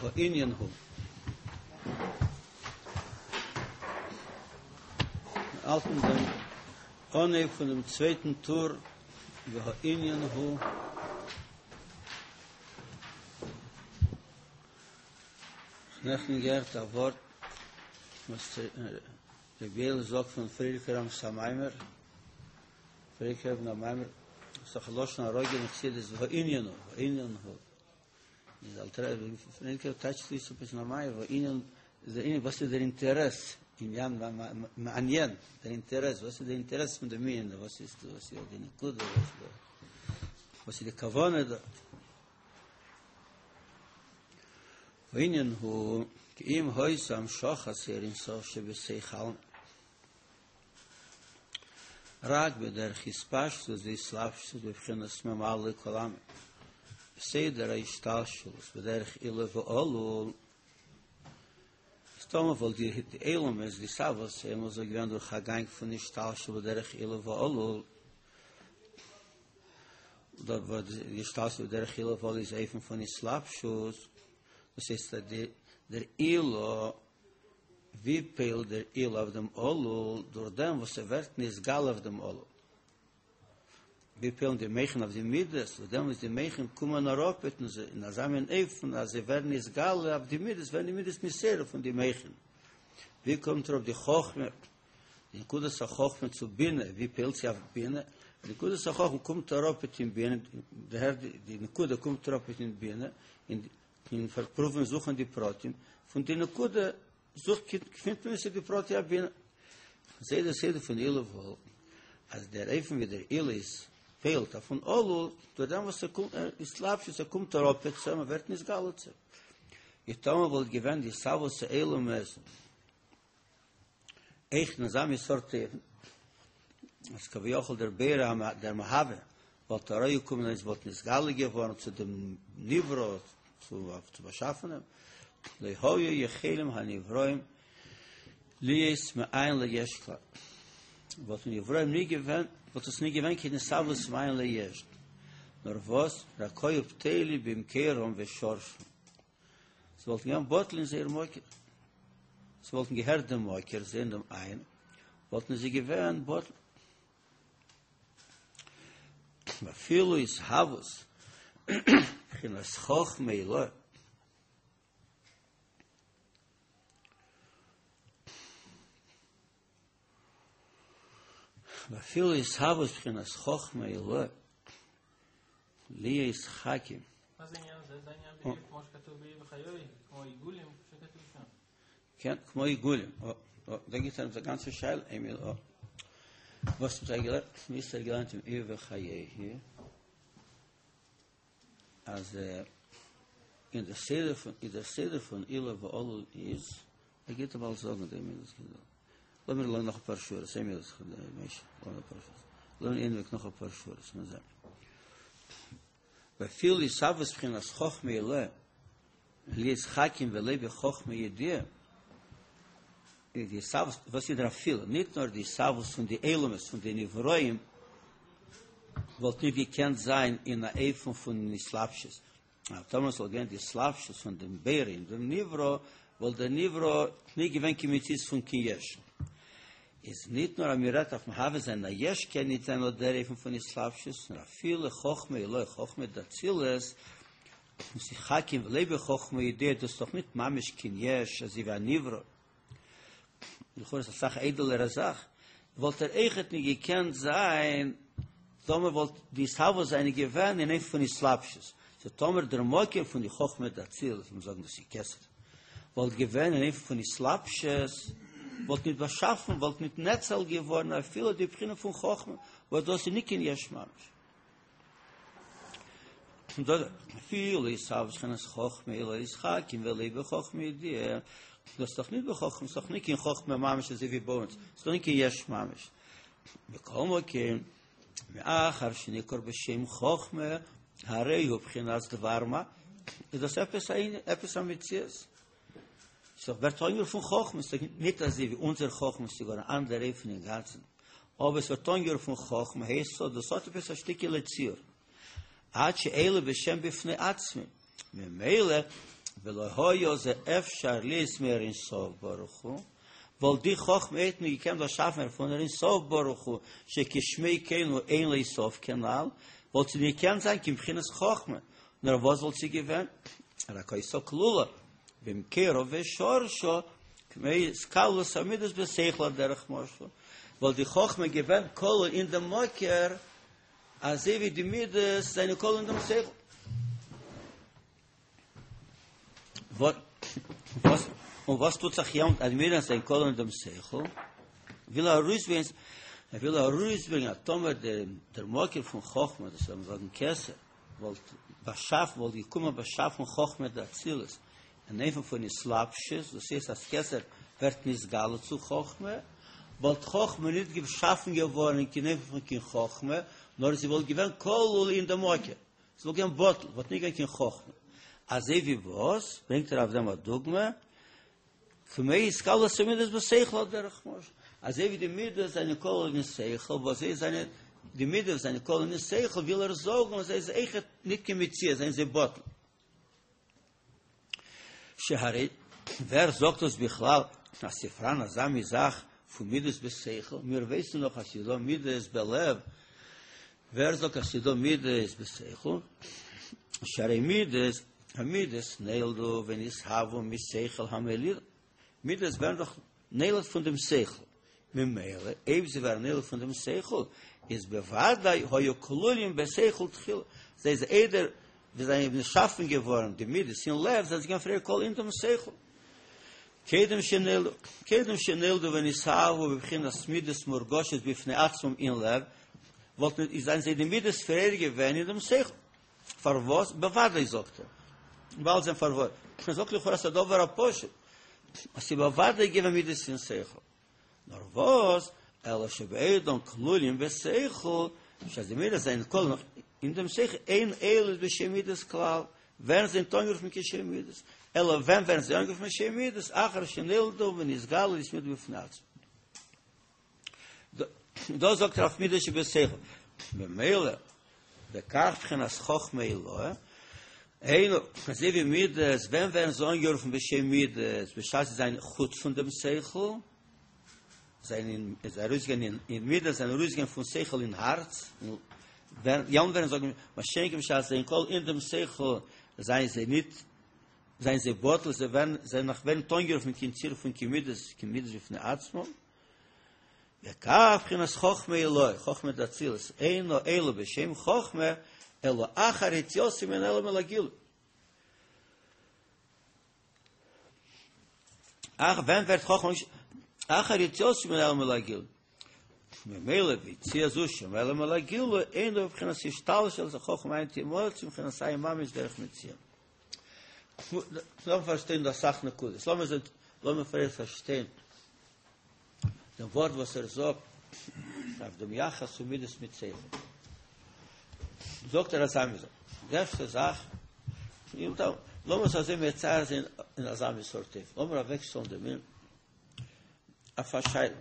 והענין הוא. מיר האלטן דעם אנהייב פון דעם צווייטן טור והענין הוא. נעכטן געהערט א ווארט וואס ר' יואל זאגט פון פריערדיגן רבינ'ס א מאמר, פריערדיגן רבינ'ס א מאמר, ס'איז דאך לשון הרגיל אין חסידות והענין הוא, והענין הוא. איז אלטער רבי פריערדיגער טייטשט אויס עפעס אין א מאמר והענין איז דער ענין וואס איז דער אינטערעס, עניין מעניין, דער אינטערעס, וואס איז דער אינטערעס פון דעם ענין, וואס איז וואס איז די נקודה, וואס איז די כוונה דארט. והענין הוא כי אם היתה המשכת אור אין סוף שבתוך עלמא רק בדרך התפשטות והתלבשות בבחינת ממלא כל עלמין בסדר ההשתלשלות בדרך עילה ועלול איז טאמער וואלט די עולמות די התהוות העולמות זאל געווען דורך א גאנג פון השתלשלות בדרך עילה ועלול דארט וואו די השתלשלות בדרך עילה ועלול איז אופן פון התלבשות, דאס הייסט אז דער עילה, ווי פועל'ט דער עילה אויף דעם עלול, דורך דעם וואס ער ווערט נתגלה אויף דעם עלול. ווי פועל'ן די מוחין אויף די מידות, דורך דעם וואס די מוחין קומען אראפ אין אזא מין אופן אז זיי ווערן נתגלה אויף די מידות, ווערן די מידות נתעורר פון די מוחין. ווי קומט אראפ די חכמה די נקודת החכמה צו בינה, ווי פועל'ט זי אויף בינה? די נקודת החכמה קומט אראפ אין בינה, דערהערט די נקודה קומט אראפ אין בינה, און און פארפרואוון זוכן די פרטים, פון די נקודה זוכט געפינט מען עס אין די פרטי הבינה. אזוי דער סדר פון עילה ועלול, אז דער אופן ווי דער עילה איז פועל'ט אויפן עלול, דורך דעם וואס ער קומט, התלבשות, ער קומט אראפ צו אים, ער ווערט נתגלה צו אים. און טאמער וואלט געווען די התהוות העולמות, אויך אין אזא מין סארט אופן, אז כביכול דער בורא דער מהווה וואלט אראפגעקומען און עס וואלט נתגלה געווארן צו דעם נברא, צו באשאפענעם, לא היו יכולים הנבראים להיות מאין ליש כלל, וואלטן נבראים נישט געווען, וואלט עס נישט געווען קיין התהוות מאין ליש, נאר וואס, רק היו בטלים במקורם ושורשם. זיי וואלטן געווען בטל אין זייער מקור, זיי וואלטן געהערט דעם מקור, זען דעם אין, וואלטן זיי געווען בטל. ואפילו התהוות בחינת חכמה עילאה. ואפילו התהוות בחינת חכמה עילאה להיות חכם. מה זה עניין הזה? זה עניין בדיוק כמו שכתוב באי וחיוי, כמו עיגולים שכתוב שם. כן, כמו עיגולים. דא גיבט ער אונז א גאנצע שאלה, איינמאל או. וואס האט ער געלערנט? ווי האט ער געלערנט אין איוב וחיי? אז אין דער סדר פון אין דער סדר פון עילה ועלול איז ער גייט באלד זאגן דעם איז לאמיר לערנען נאך אפאר שורות איין מינוט משה לאמיר אפאר שורות לערנען ענדיג נאך אפאר שורות מיר זען ואפילו התהוות בחינת חכמה עילאה להיות חכים ולא בחכמה ידיעה די התהוות וואס איז דער אפילו ניט נאר די התהוות פון די עולמות פון די נבראים וואלט ניט געקענט זיין אין א אופן פון התלבשות אז טאמער ס'וואלט געווען די התלבשות פון דעם בורא אין דעם נברא וואלט דער נברא ניט געווען קיין מציאות פון קיין יש איז ניט נאר אז מ'רעדט אויף מהווה זיין א יש קען ניט זיין אט דער אופן פון התלבשות נאר אפילו חכמה עילאה חכמה דאצילות וואס איז חכים ולא בחכמה ידיעה דאס איז דאך ניט ממש קיין יש אזוי ווי א נברא לכאורה איז אסאך איידעלערע זאך וואלט ער אויכעט ניט געקענט זיין טאמער וואלט די התהוות זיינע געווען אין אופן פון התלבשות סאו טאמער דער מקור פון די חכמה דאצילות לאמיר זאגן דאס איז כתר וואלט געווען אין אופן פון התלבשות וואלט ניט באשאפן וואלט ניט נאצל געווארן אפילו די בחינה פון חכמה וואס דאס איז ניט קיין יש ממש. אפילו התהוות בחינת חכמה עילאה להיות חכים ולא בחכמה ידיעה, דאס איז דאך נישט בחכמה, ס'איז דאך נישט קיין חכמה ממש אזוי ווי ביי אונז, ס'איז דאך נישט קיין יש ממש. מכל מקום, מאחר שנקרא בשם חכמה, הרי הוא בחינת דבר מה, איז דאס עפעס א עפעס א מציאות. ס'איז דאך ווערט אנגערופן חכמה, ס'איז דאך נישט אזוי ווי אונזער חכמה, ס'איז גאר אן אנדער אופן אינגאנצן. אבער עס ווערט אנגערופן חכמה הייסט עס דאס האט עפעס א שטיקעלע ציור עד שאלה בשם בפני עצמו ממילא. ולא היה זה אפשר להיות מאור אין סוף ברוך הוא, וואלט די חכמה אויכעט ניט געקענט באשאפן ווערן פון אור אין סוף ברוך הוא, שכשמו כן הוא אין לו סוף כנל, וואלט זי ניט געקענט זיין קיין בחינת חכמה, נאר וואס וואלט זי געווען? רק היתה כלולה במקורה ושורשה, כמו התכללות המידות בשכל על דרך משל, וואלט די חכמה געווען כלול אין דעם מקור, אזוי ווי די מידות זענען כלול אין דעם שכל. וואס און וואס טוט זיך יעמאלט אז מידות זענען כלול אין דעם שכל? וויל ער ארויסברענגען, ער וויל ארויסברענגען אז טאמער דער מקור פון חכמה, דאס וועט מען זאגן כתר, וואלט באשאפן, וואלט געקומען באשאפן חכמה דאצילות אין אופן פון התלבשות, דאס הייסט אז כתר ווערט נתגלה צו חכמה, וואלט חכמה ניט געשאפן געווארן אין קיין אופן פון קיין חכמה, נאר זי וואלט געווען כלול אין דעם מקור, זי וואלט געווען בטל, וואלט ניט געווען קיין חכמה. אזוי ווי וואס? ברענגט ער אויף דעם א דוגמא, כמו התכללות המידות בשכל על דרך משל, אזוי ווי די מידות זענען כלול אין שכל, וואס זיי זענען, די מידות זענען כלול אין שכל, וויל ער זאגן אז זיי זענען אויכעט ניט קיין מציאות, זענען זיי בטל. שהרי ווער זאגט דאס בכלל אז ס'פאראן אזא מין זאך פון מידות בשכל, מיר ווייסן דאך אז ס'דא מידות בלב, ווער זאגט אז ס'דא מידות בשכל? שהרי מידות, המידות נולדו ונתהוו משכל המוליד, מידות ווערן דאך נולד פון דעם שכל, ממילא אויב זיי ווערן נולד פון דעם שכל, איז בוודאי היו כלולים בשכל תחילה, זיי איז איידער ווי זיי זענען נשאפן געווארן די מידות אין לב, זענען זיי געווען פריער כלול אין דעם שכל. קודם שנולדו, קודם שנולדו ונתהוו בבחינת מידות מורגשות בפני עצמם אין לב, וואלטן איז זענען זיי די מידות פריער געווען אין דעם שכל. פארוואס? בוודאי זאגט ער. באלד זען פארוואס. מען זאגט לכאורה ס'איז א דבר הפשוט. אז ס'איז בוודאי געווען מידות אין שכל. נאר וואס, אלא שבעודם כלולים בשכל, בשעת די מידות זענען כלול נאך אין דעם שכל, אין עולות בשם מידות כלל, ווערן זיי ניט אנגערופן קיין שם מידות, אלא ווען ווערן זיי אנגערופן שם מידות, אחר שנולדו ונתגלו להיות מידות בפני עצמן. דאס זאגט ער אויף מידות שבשכל. במילא, וכך בחינת חכמה עילאה, היינו, אזוי ווי מידות, ווען ווערן זיי אנגערופן בשם מידות, בשעת זיי זענען חוץ פון דעם שכל, זענען זיי ארויסגעגאנגען אין מידות זענען ארויסגעגאנגען פון שכל אין הארץ, ווען יעמאלט ווערן זיי מה שאין כן בשעת זיי זענען כלול אין דעם שכל, זענען זיי ניט זענען זיי בטל, זיי ווערן זיי נאך ווערן ניט אנגערופן קיין צירוף פון קיין מידות, קיין מידות בפני עצמם. וכך בחינת חכמה עילאה, חכמה דאצילות, אינה עולה בשם חכמה, אלא אחר יציאתה מן העלם אל הגילוי. אך ווען ווערט חכמה אחר יציאתה מן העלם אל הגילוי? ממילא ביציאה זו שמהעלם אל הגילוי אינו בבחינת השתלשלות החכמה מאין תמצא מבחינת אין ממש דרך מציאה. לאמיר פארשטיין דא אסאך נקודות, לאמיר זען, לאמיר פריער פארשטיין דעם ווארט וואס ער זאגט אויף דעם יחס פון מידות מיט שכל. זאגט ער אזא מין זאך, די ערשטע זאך, לאמיר עס אזוי מצייר זיין אין אזא מין סארט אופן, לאמיר אוועקשטעלן דעם ענין אויף א שאלה,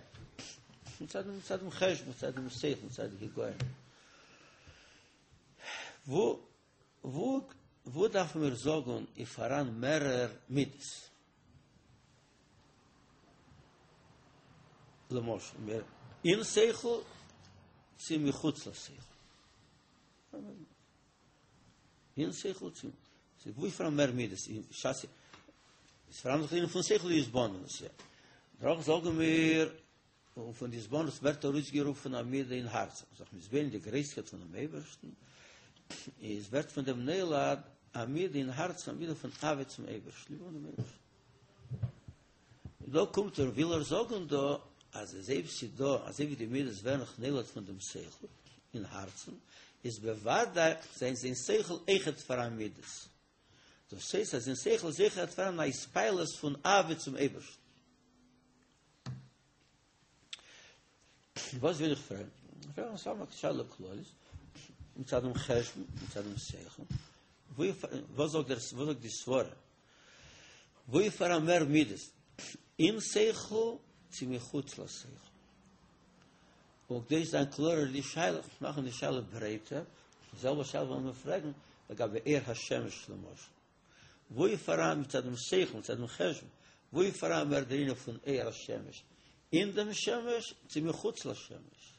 מצד דעם חשבון, מצד דעם שכל, מצד די היגיון. וואו וואו דארפן מיר זאגן איז פאראן מערער מידות? למשל מער אין שכל צו מחוץ לשכל? אין שכל צו וואו איז פאראן מער מידות? אין שס איז פאראן דאך ענין פון שכל התבוננות. דאך זאגן מיר און פון די התבוננות ווערט ארויסגערופן א מידה אין הארץ, זיך מתבונן די גרויסקייט פונעם אייבערשטן, איז ווערט פון דעם נולד א מידה אין הארץ, א מידה פון אהבה צום אייבערשטן, ליב האבן דעם אייבערשטן. דא קומט ער, וויל ער זאגן דא, אז אזוי ווי ס'איז דא, אזוי ווי די מידות ווערן נאך נולד פון דעם שכל אין הארצן, איז בוודאי זענען זיי אין שכל אויכעט פאראן מידות. דאס הייסט אז אין שכל איז אויכעט פאראן א התפעלות פון אהבה צום אייבערשטן. וואס וויל איך פרעגן? איך פרעג סתם א שאלה כללית, מצד דעם חשבון, מצד דעם שכל, וואס זאגט דער, וואס זאגט די סברה? וואו איז פאראן מער מידות, אין שכל צו מחוץ לשכל? און כדי צו זיין קלארער די שאלה, מאכן די שאלה ברייטער, די זעלבע שאלה וועלן מיר פרעגן לגבי אור השמש למשל. וואו איז פאראן מצד דעם שכל, מצד דעם חשבון, וואו איז פאראן מער דער ענין פון אור השמש, אין דעם שמש צו מחוץ לשמש?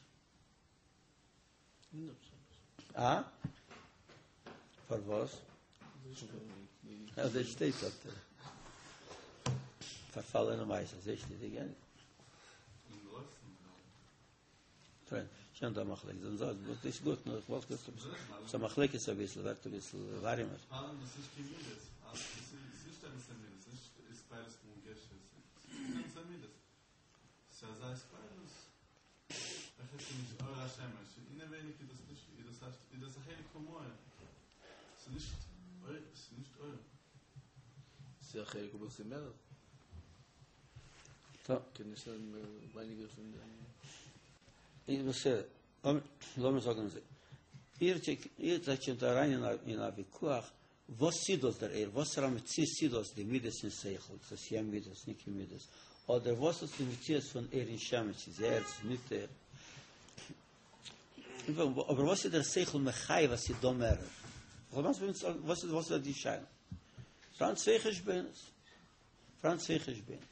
אין דעם שמש. אה? פארוואס? אזוי שטייט דארט. פארפאלענע מעשה, אזוי שטייט די גענ. שוין דא מחלוקת, זאגן זיי, דאס איז גוט, נאר איך וואלט געזאגט ס'איז א מחלוקת אביסל, ווערט אביסל ווארימער. ס'איז א חלק אבער ס'איז מער. קען נישט זיין ווייניגער פון דעם. איז בסדר, לאמיר זאגן אזוי, איר זייט שוין דא אריין אין א ויכוח, וואס איז דאס דער אור, וואסערע מציאות איז דאס די מידות אין שכל, איז עס יא מידות, ניט קיין מידות, אדער וואס איז די מציאות פון אור אין שמש, איז אור, איז ניט אור, אבער וואס איז דער שכל מחייב אז ס'איז דא מערער? וואס איז די שאלה? פאראן צוויי חשבונות. פאראן צוויי חשבונות.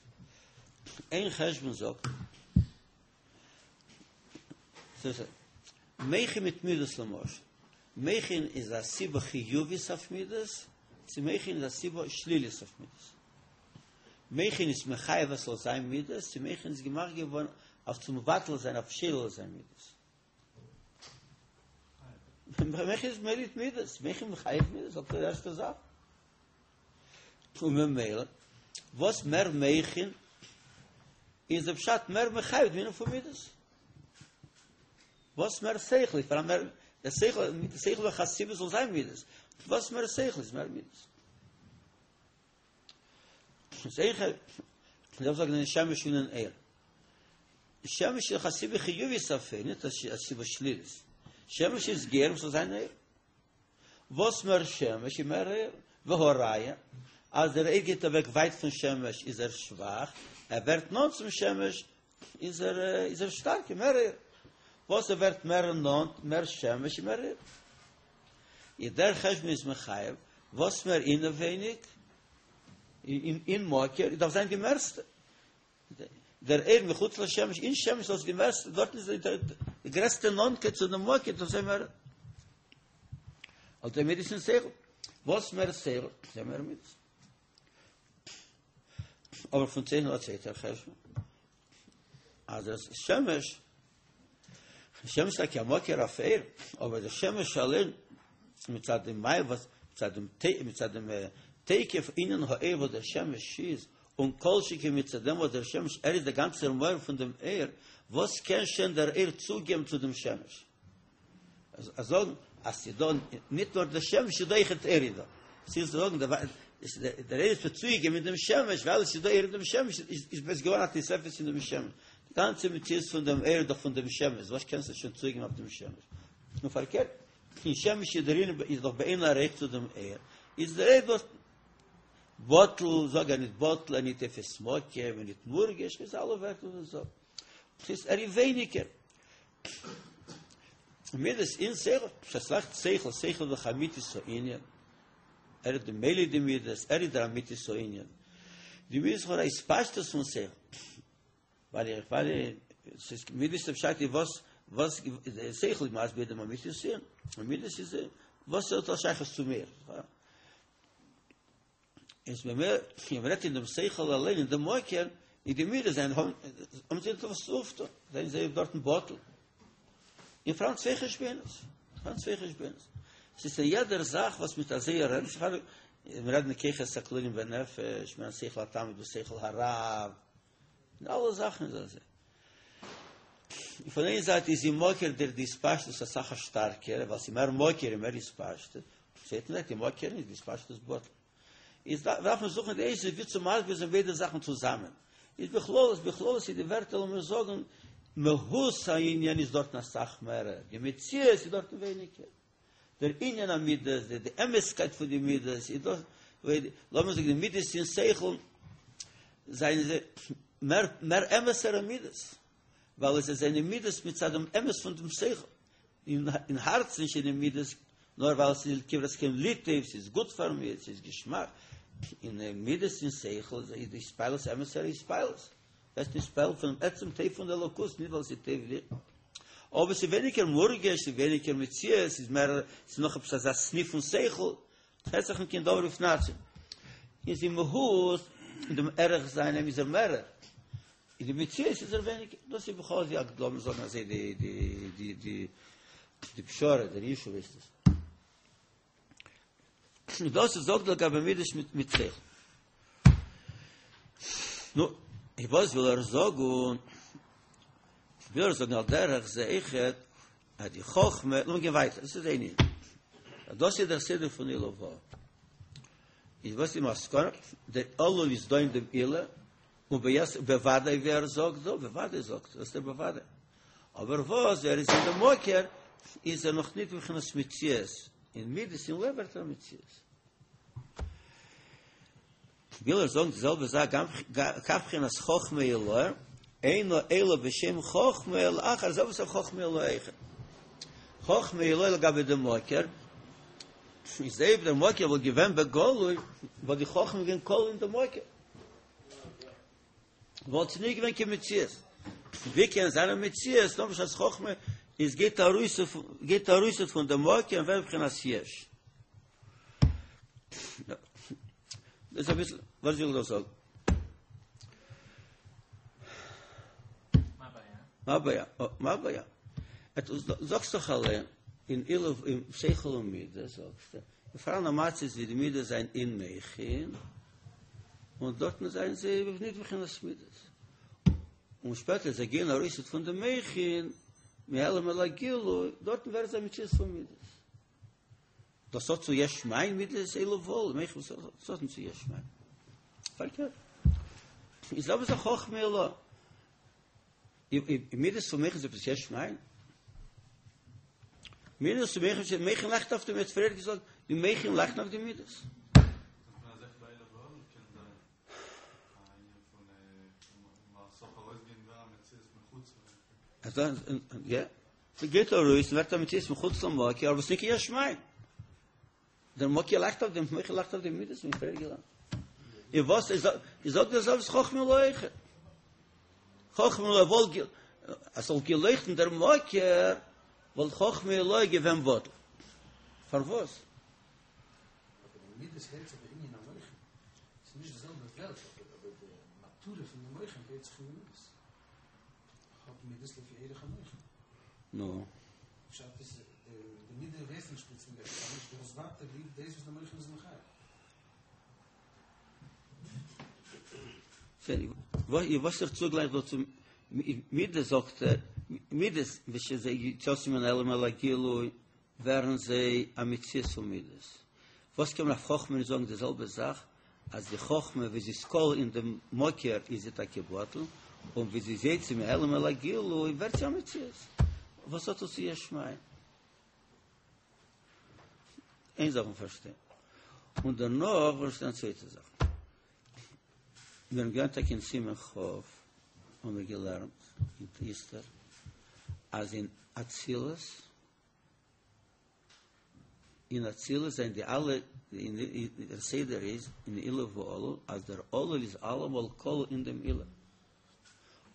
איין חשבון זאגט, מוחין מיט מידות למשל, מוחין איז א סיבה חיובית אויף מידות, צו מוחין איז א סיבה שלילית אויף מידות. מוחין איז מחייב אז ס'זאל זיין מידות, צו מוחין איז געמאכט געווארן אויף צו מבטל זיין, אויף שולל זיין מידות. מוחין איז מוליד מידות, מוחין מחייב מידות, אויף די ערשטע זאך. און ממילא, וואס מער מוחין, איז דער פשט מער מחייב דעם ענין פון מידות. וואס מער שכל איז פאראן מער, דער שכל, שכל איז דאך א סיבה זאל זיין מידות. וואס מער שכל איז מער מידות. שכל, דארף זאגן אין שמש און אין אור. שמש איז דאך א סיבה חיובית אויף אור, נישט א סיבה שלילית. שמש איז גורם ס'זאל זיין אור. וואס מער שמש איז מער אור. והא ראיה, אז דער אור גייט אוועק ווייט פון שמש איז ער שוואך, ער ווערט נאנט צום שמש איז ער איז ער שטארק, מער אור. וואס ער ווערט מער נאנט, מער שמש איז מער אור. איז דער חשבון איז מחייב, וואס מער אינעווייניג, אין מקור, דארף זיין די מערסטע. דער אור מחוץ לשמש, אין שמש דאס די מערסטע, דארטן איז די גרעסטע נאנטקייט צו דעם מקור, דאס איז מער. אלטע מידות אין שכל, וואס מער שכל, איז מער מידות. אבער פון צווייטן א צווייטער חשבון, אז דער שמש, שמש טאקע א מקור אויף אור, אבער דער שמש אליין, מצד דעם מים וואס, מצד דעם מצד דעם תוקף ענין האור וואס דער שמש איז, און כל שכן מצד דעם וואס דער שמש ער איז דער גאנצער מקור פון דעם אור, וואס קען שוין דער אור צוגעבן צו דעם שמש? אז זאגן אז ס'איז דא ניט נאר דער שמש, ס'איז דא אויכעט אור איז דא. ס'איז זאגן דער דער אור איז צוגעגעבן מיט דעם שמש, ווייל עס איז דא אור אין דעם שמש, איז עס געווארן א תוספת אין דעם שמש. די גאנצע מציאות פון דעם אור איז דאך פון דעם שמש, וואס קענסטו שוין צוגעבן אויף דעם שמש? און פארקערט, אין שמש איז דער איז דאך באין ערוך צו דעם אור, איז דער אור דאס בטל, זאג ער ניט בטל, ער ניט תופס מקום, ער ניט מורגש, איז אלע ווערטער וואס זאגט. ס'איז ער איז ווייניגער. מידות אין שכל, בשעת שכל, שכל איז דאך אמיתית הענין, ער איז די מוליד די מידות, ער איז דער אמיתית הענין. די מידות לכאורה התפשטות פון שכל. ווייל איך ווייל ס'איז מידות איז פשט איז וואס וואס שכל איז מסביר דעם אמיתית הענין. און מידות איז וואס האט דאס שייכות צו מיר. איז ממילא ווען מ'רעדט אין דעם שכל אליין אין דעם מקור אין די מידות זיינען האבן האבן זיי נישט וואס צו אויפטון זענען זיי דארטן בטל און פאראן צוויי חשבונות פאראן צוויי חשבונות ס'איז אין יעדער זאך וואס מיט אזוי רעדן זיך פאר מיר רעדן כוחות הכלולים בנפש מן השכל התמיד ושכל הרב אין אלע זאכן איז אזוי פון איין זייט איז אין מקור דער די התפשטות אסאך א שטארקער ווייל ס'איז מער מקור און מער התפשטות צווייטן זייט אין מקור איז די התפשטות בטל איז דארף מען זוכן די עצה ווי צו מסביר זיין ביידע זאכן צוזאמען איז בכללות בכללות איז די ווערטער לאמיר זאגן מהות העניין איז דארטן אסאך מערער די מציאות איז דארטן ווייניגער דער ענין המידות, די די אמת'קייט פון די מידות, איז דאס, לאמיר זאגן די מידות אין שכל, זענען זיי מער מער אמת'ערע מידות, ווייל עס זענען מידות מצד דעם אמת פון דעם שכל, אין אין הארצן זענען מידות, נאר ווייל עס איז כברת כן לי טוב, ס'איז גוט פאר מיר, ס'איז געשמאק. אין מידות אין שכל איז די התפעלות אמת'ער התפעלות. ווערסט נתפעל פונעם עצם טוב פון אלוקות, נישט ווייל ס'איז טוב דיר. אבער ס'איז ווייניגער מורגש, ס'איז ווייניגער מציאות, ס'איז מער, ס'איז נאך עפעס אזא סניף פון שכל, ס'הערט זיך נישט קיין דבר בפני עצמו. איז אין מהות, אין דעם ערך זיינעם איז ער מערער, אין די מציאות איז ער ווייניגער. דאס איז בכל זאת, לאמיר זאגן אזוי די די די די די פשרה, דער ישוב איז דאס. דאס איז זאגט לגבי מידות מיט שכל. נו, וואס וויל ער זאגן? וויל ער זאגן על דרך זה אויכעט, אז די חכמה, לאמיר גיין ווייטער, דאס איז איין ענין. דאס איז דער סדר פון עילה ועלול. איז וואס איז מסקנא? דער עלול איז דא אין דעם עילה, און בוודאי ווי ער זאגט דא, בוודאי זאגט, דאס איז דער בוודאי. אבער וואס ער איז אין דעם מקור, איז ער נאך ניט בבחינת מציאות, אין מידות אין לב ווערט ער א מציאות. וויל ער זאגן די זעלבע זאך גם כך בחינת חכמה עילאה, אינו אלא בשם חכמה לאחר זה וואס חכמה עילאה אויכעט. חכמה עילאה לגבי דעם מקור, איז אויב דער מקור וואלט געווען בגלוי, וואלט די חכמה געווען כלול אין דעם מקור. וואלט עס נישט געווען קיין מציאות. ווי קען זיין א מציאות נאר בשעת חכמה איז גייט ארויס גייט ארויס פון דעם מקור און ווערט בחינת יש. דאס איז אביסל וואס וויל דאס זאגן. מה הבעיה? מה הבעיה? זאגסט דאך אליין אין עילה אין שכל און מידות זאגסטו פאראן א מצב ווי די מידות זענען אין מוחין, און דארטן זענען זיי ניט בחינת מידות. און שפעטער זיי גייען ארויס פון די מוחין, מהעלם אל הגילוי, דארטן ווערט זיי מציאות פון מידות. דאס האט צו יש מאין מידות עילה ועלול, מוחין וואס האט צו יש מאין. פארקערט. איז אבער זיך חכמה עילאה. מידות פון מוחין איז עפעס יש מאין? מידות פון מוחין, מוחין לייכט אויף די מידות, פריער געזאגט, די מוחין לייכטן אויף די מידות. יא, ס'גייט ארויס און ווערט א מציאות מחוץ למקור, אבער ס'נישט קיין יש מאין. דער מקור לייכט אויף דעם מוחין לייכט אויף די מידות ווי פריער געלערנט. און וואס איז איז זאגט דער זאב איז חכמה עילאה אויכעט. חכמה עילאה וואלט אז ס'זאל געלויכטן דער מקור וואלט חכמה עילאה געווען בטל. פארוואס? אבער די מידות הערט זיך בענין המוחין. ס'איז נישט די זעלבע וועלט אבער די מטרה פון די מוחין הערט זיך אין די מידות. האט מידות לפי ערך המוחין. נו. פשט איז די מידה ווערט נישט פלוצלינג עפעס אנדערש, דו האסט ווייטער ליב דאס וואס די מוחין איז מחייב. וואס ער צוגלייכט דא צו מידות זאגט ער, מידות ווען יציאתן מן העלם אל הגילוי ווערן זיי א מציאות פון מידות. וואס קען מען אויף חכמה נישט זאגן די זעלבע זאך, אז די חכמה ווי זי איז כלול אין דעם מקור איז זי טאקע בטל, און ווי זי איז יוצא מהעלם אל הגילוי ווערט זי א מציאות. וואס האט עס צו יש מאין? איין זאך פארשטיין. און דערנאך פארשטיין א צווייטע זאך. מיר האבן געלערנט טאקע אין סימן כ', האבן מיר געלערנט אין איסתר, אז אין אצילות, אין אצילות זענען די אלע, דער סדר איז אין עילה ועלול, אז דער עלול איז אלעמאל כלול אין דעם עילה.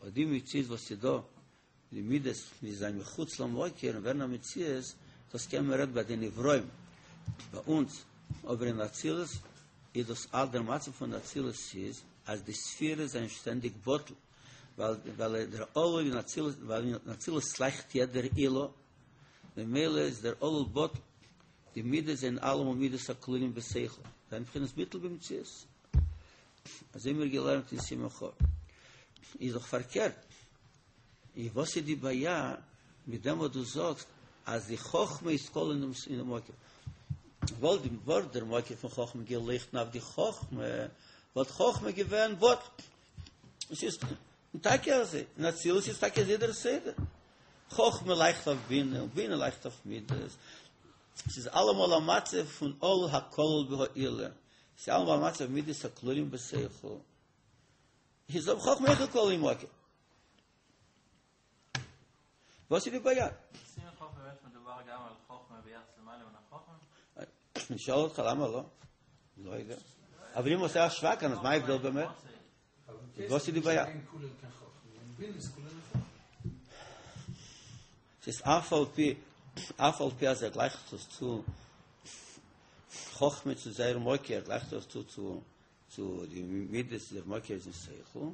און די מציאות וואס איז דא, די מידות ווי זיי מחוץ למקור און ווערן א מציאות, דאס קען מען רעדן ביי די נבראים, ביי אונז, אבער אין אצילות איז דאס אל דער מצב פון אצילות איז אז די ספירות זענען שטענדיג בטל, ווייל ווייל דער עלול אין אצילות, ווייל אין אצילות לייכט יעדער עילה, ממילא איז דער עלול בטל, די מידות זענען אלעמאל מידות הכלולים בשכל, זענען בחינת ביטול במציאות. אזוי האבן מיר געלערנט אין סימן כ'. איז דאך פארקערט, און וואס איז די בעיה מיט דעם וואס דו זאגסט אז די חכמה איז כלול אין דעם מקור? וואלט די ווארט דער מקור פון חכמה געלויכטן אויף די חכמה, וואלט חכמה געווען בטל. עס איז טאקע אזוי, אין אצילות איז טאקע אזוי דער סדר. חכמה לייכט אויף בינה, און בינה לייכט אויף מידות. עס איז אלעמאל א מצב פון עלול הכלול בהעילה. עס איז אלעמאל א מצב מידות הכלולים בשכל. איז אויב חכמה אויך כלול אין מקור. וואס איז די בעיה? סימן כ' באמת מדובר גם על חכמה ביחס למעלה מן החכמה? אני שואל אותך למה לא? לא יודע. אבער אם עושה השוואה כאן, אז מה ההבדל באמת? וואס איז די בעיה? ס'איז אף על פי, אף על פי אז ער גלייכט עס צו חכמה צו זייער מקור, ער גלייכט עס צו צו צו די מידות דער מקור איז אין שכל,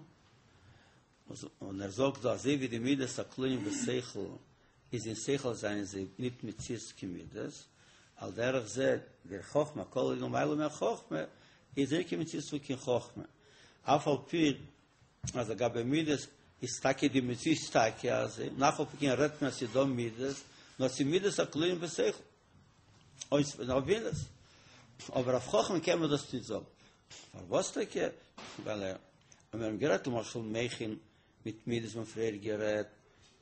און ער זאגט דא אזוי ווי די מידות הכלולים בשכל איז אין שכל זענען זיי ניט מציאות כמידות, על דרך זה דער חכמה הכלול למעלה מהחכמה איז ניט קיין מציאות פון קיין חכמה, אף על פי אז לגבי מידות איז טאקע די מציאות טאקע אזוי, און אף על פי כן רעדט מען אז ס'איז דא מידות, נאר ס'איז מידות הכלולים בשכל, אויס אויף בינות, אבער אויף חכמה קען מען דאס ניט זאגן. פארוואס טאקע? ווייל ער, ווען מיר האבן גערעדט למשל מוחין מיט מידות מ'האט פריער גערעדט,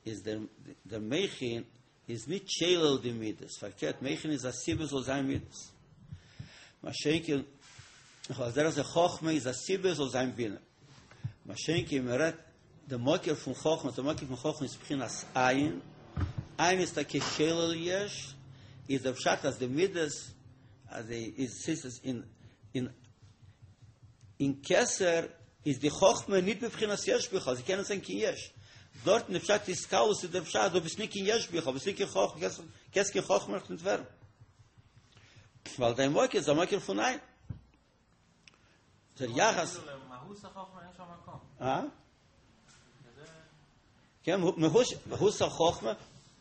איז דער דער מוחין איז ניט שולל די מידות, פארקערט מוחין איז א סיבה זאל זיין מידות. מה שאין כן, על דרך זה חכמה איז א סיבה זאל זיין בינה. מה שאין כן מען רעדט די מקור פון חכמה, די מקור פון חכמה איז בחינת אין, אין איז טאקע שולל יש, איז דער פשט אז די מידות אז די איז ס'איז אין אין אין כתר איז די חכמה ניט בבחינת יש בכלל, זי קען ניט זיין קיין יש. דארטן די פשט התכללות איז דער פשט דו ביסט ניט קיין יש בכלל, ביסט ניט קיין חכמה, קענסט קענסט קיין חכמה נאך ניט ווערן. ווייל דיין מקור איז א מקור פון אין. דער יחס. אה? כן, מהות החכמה,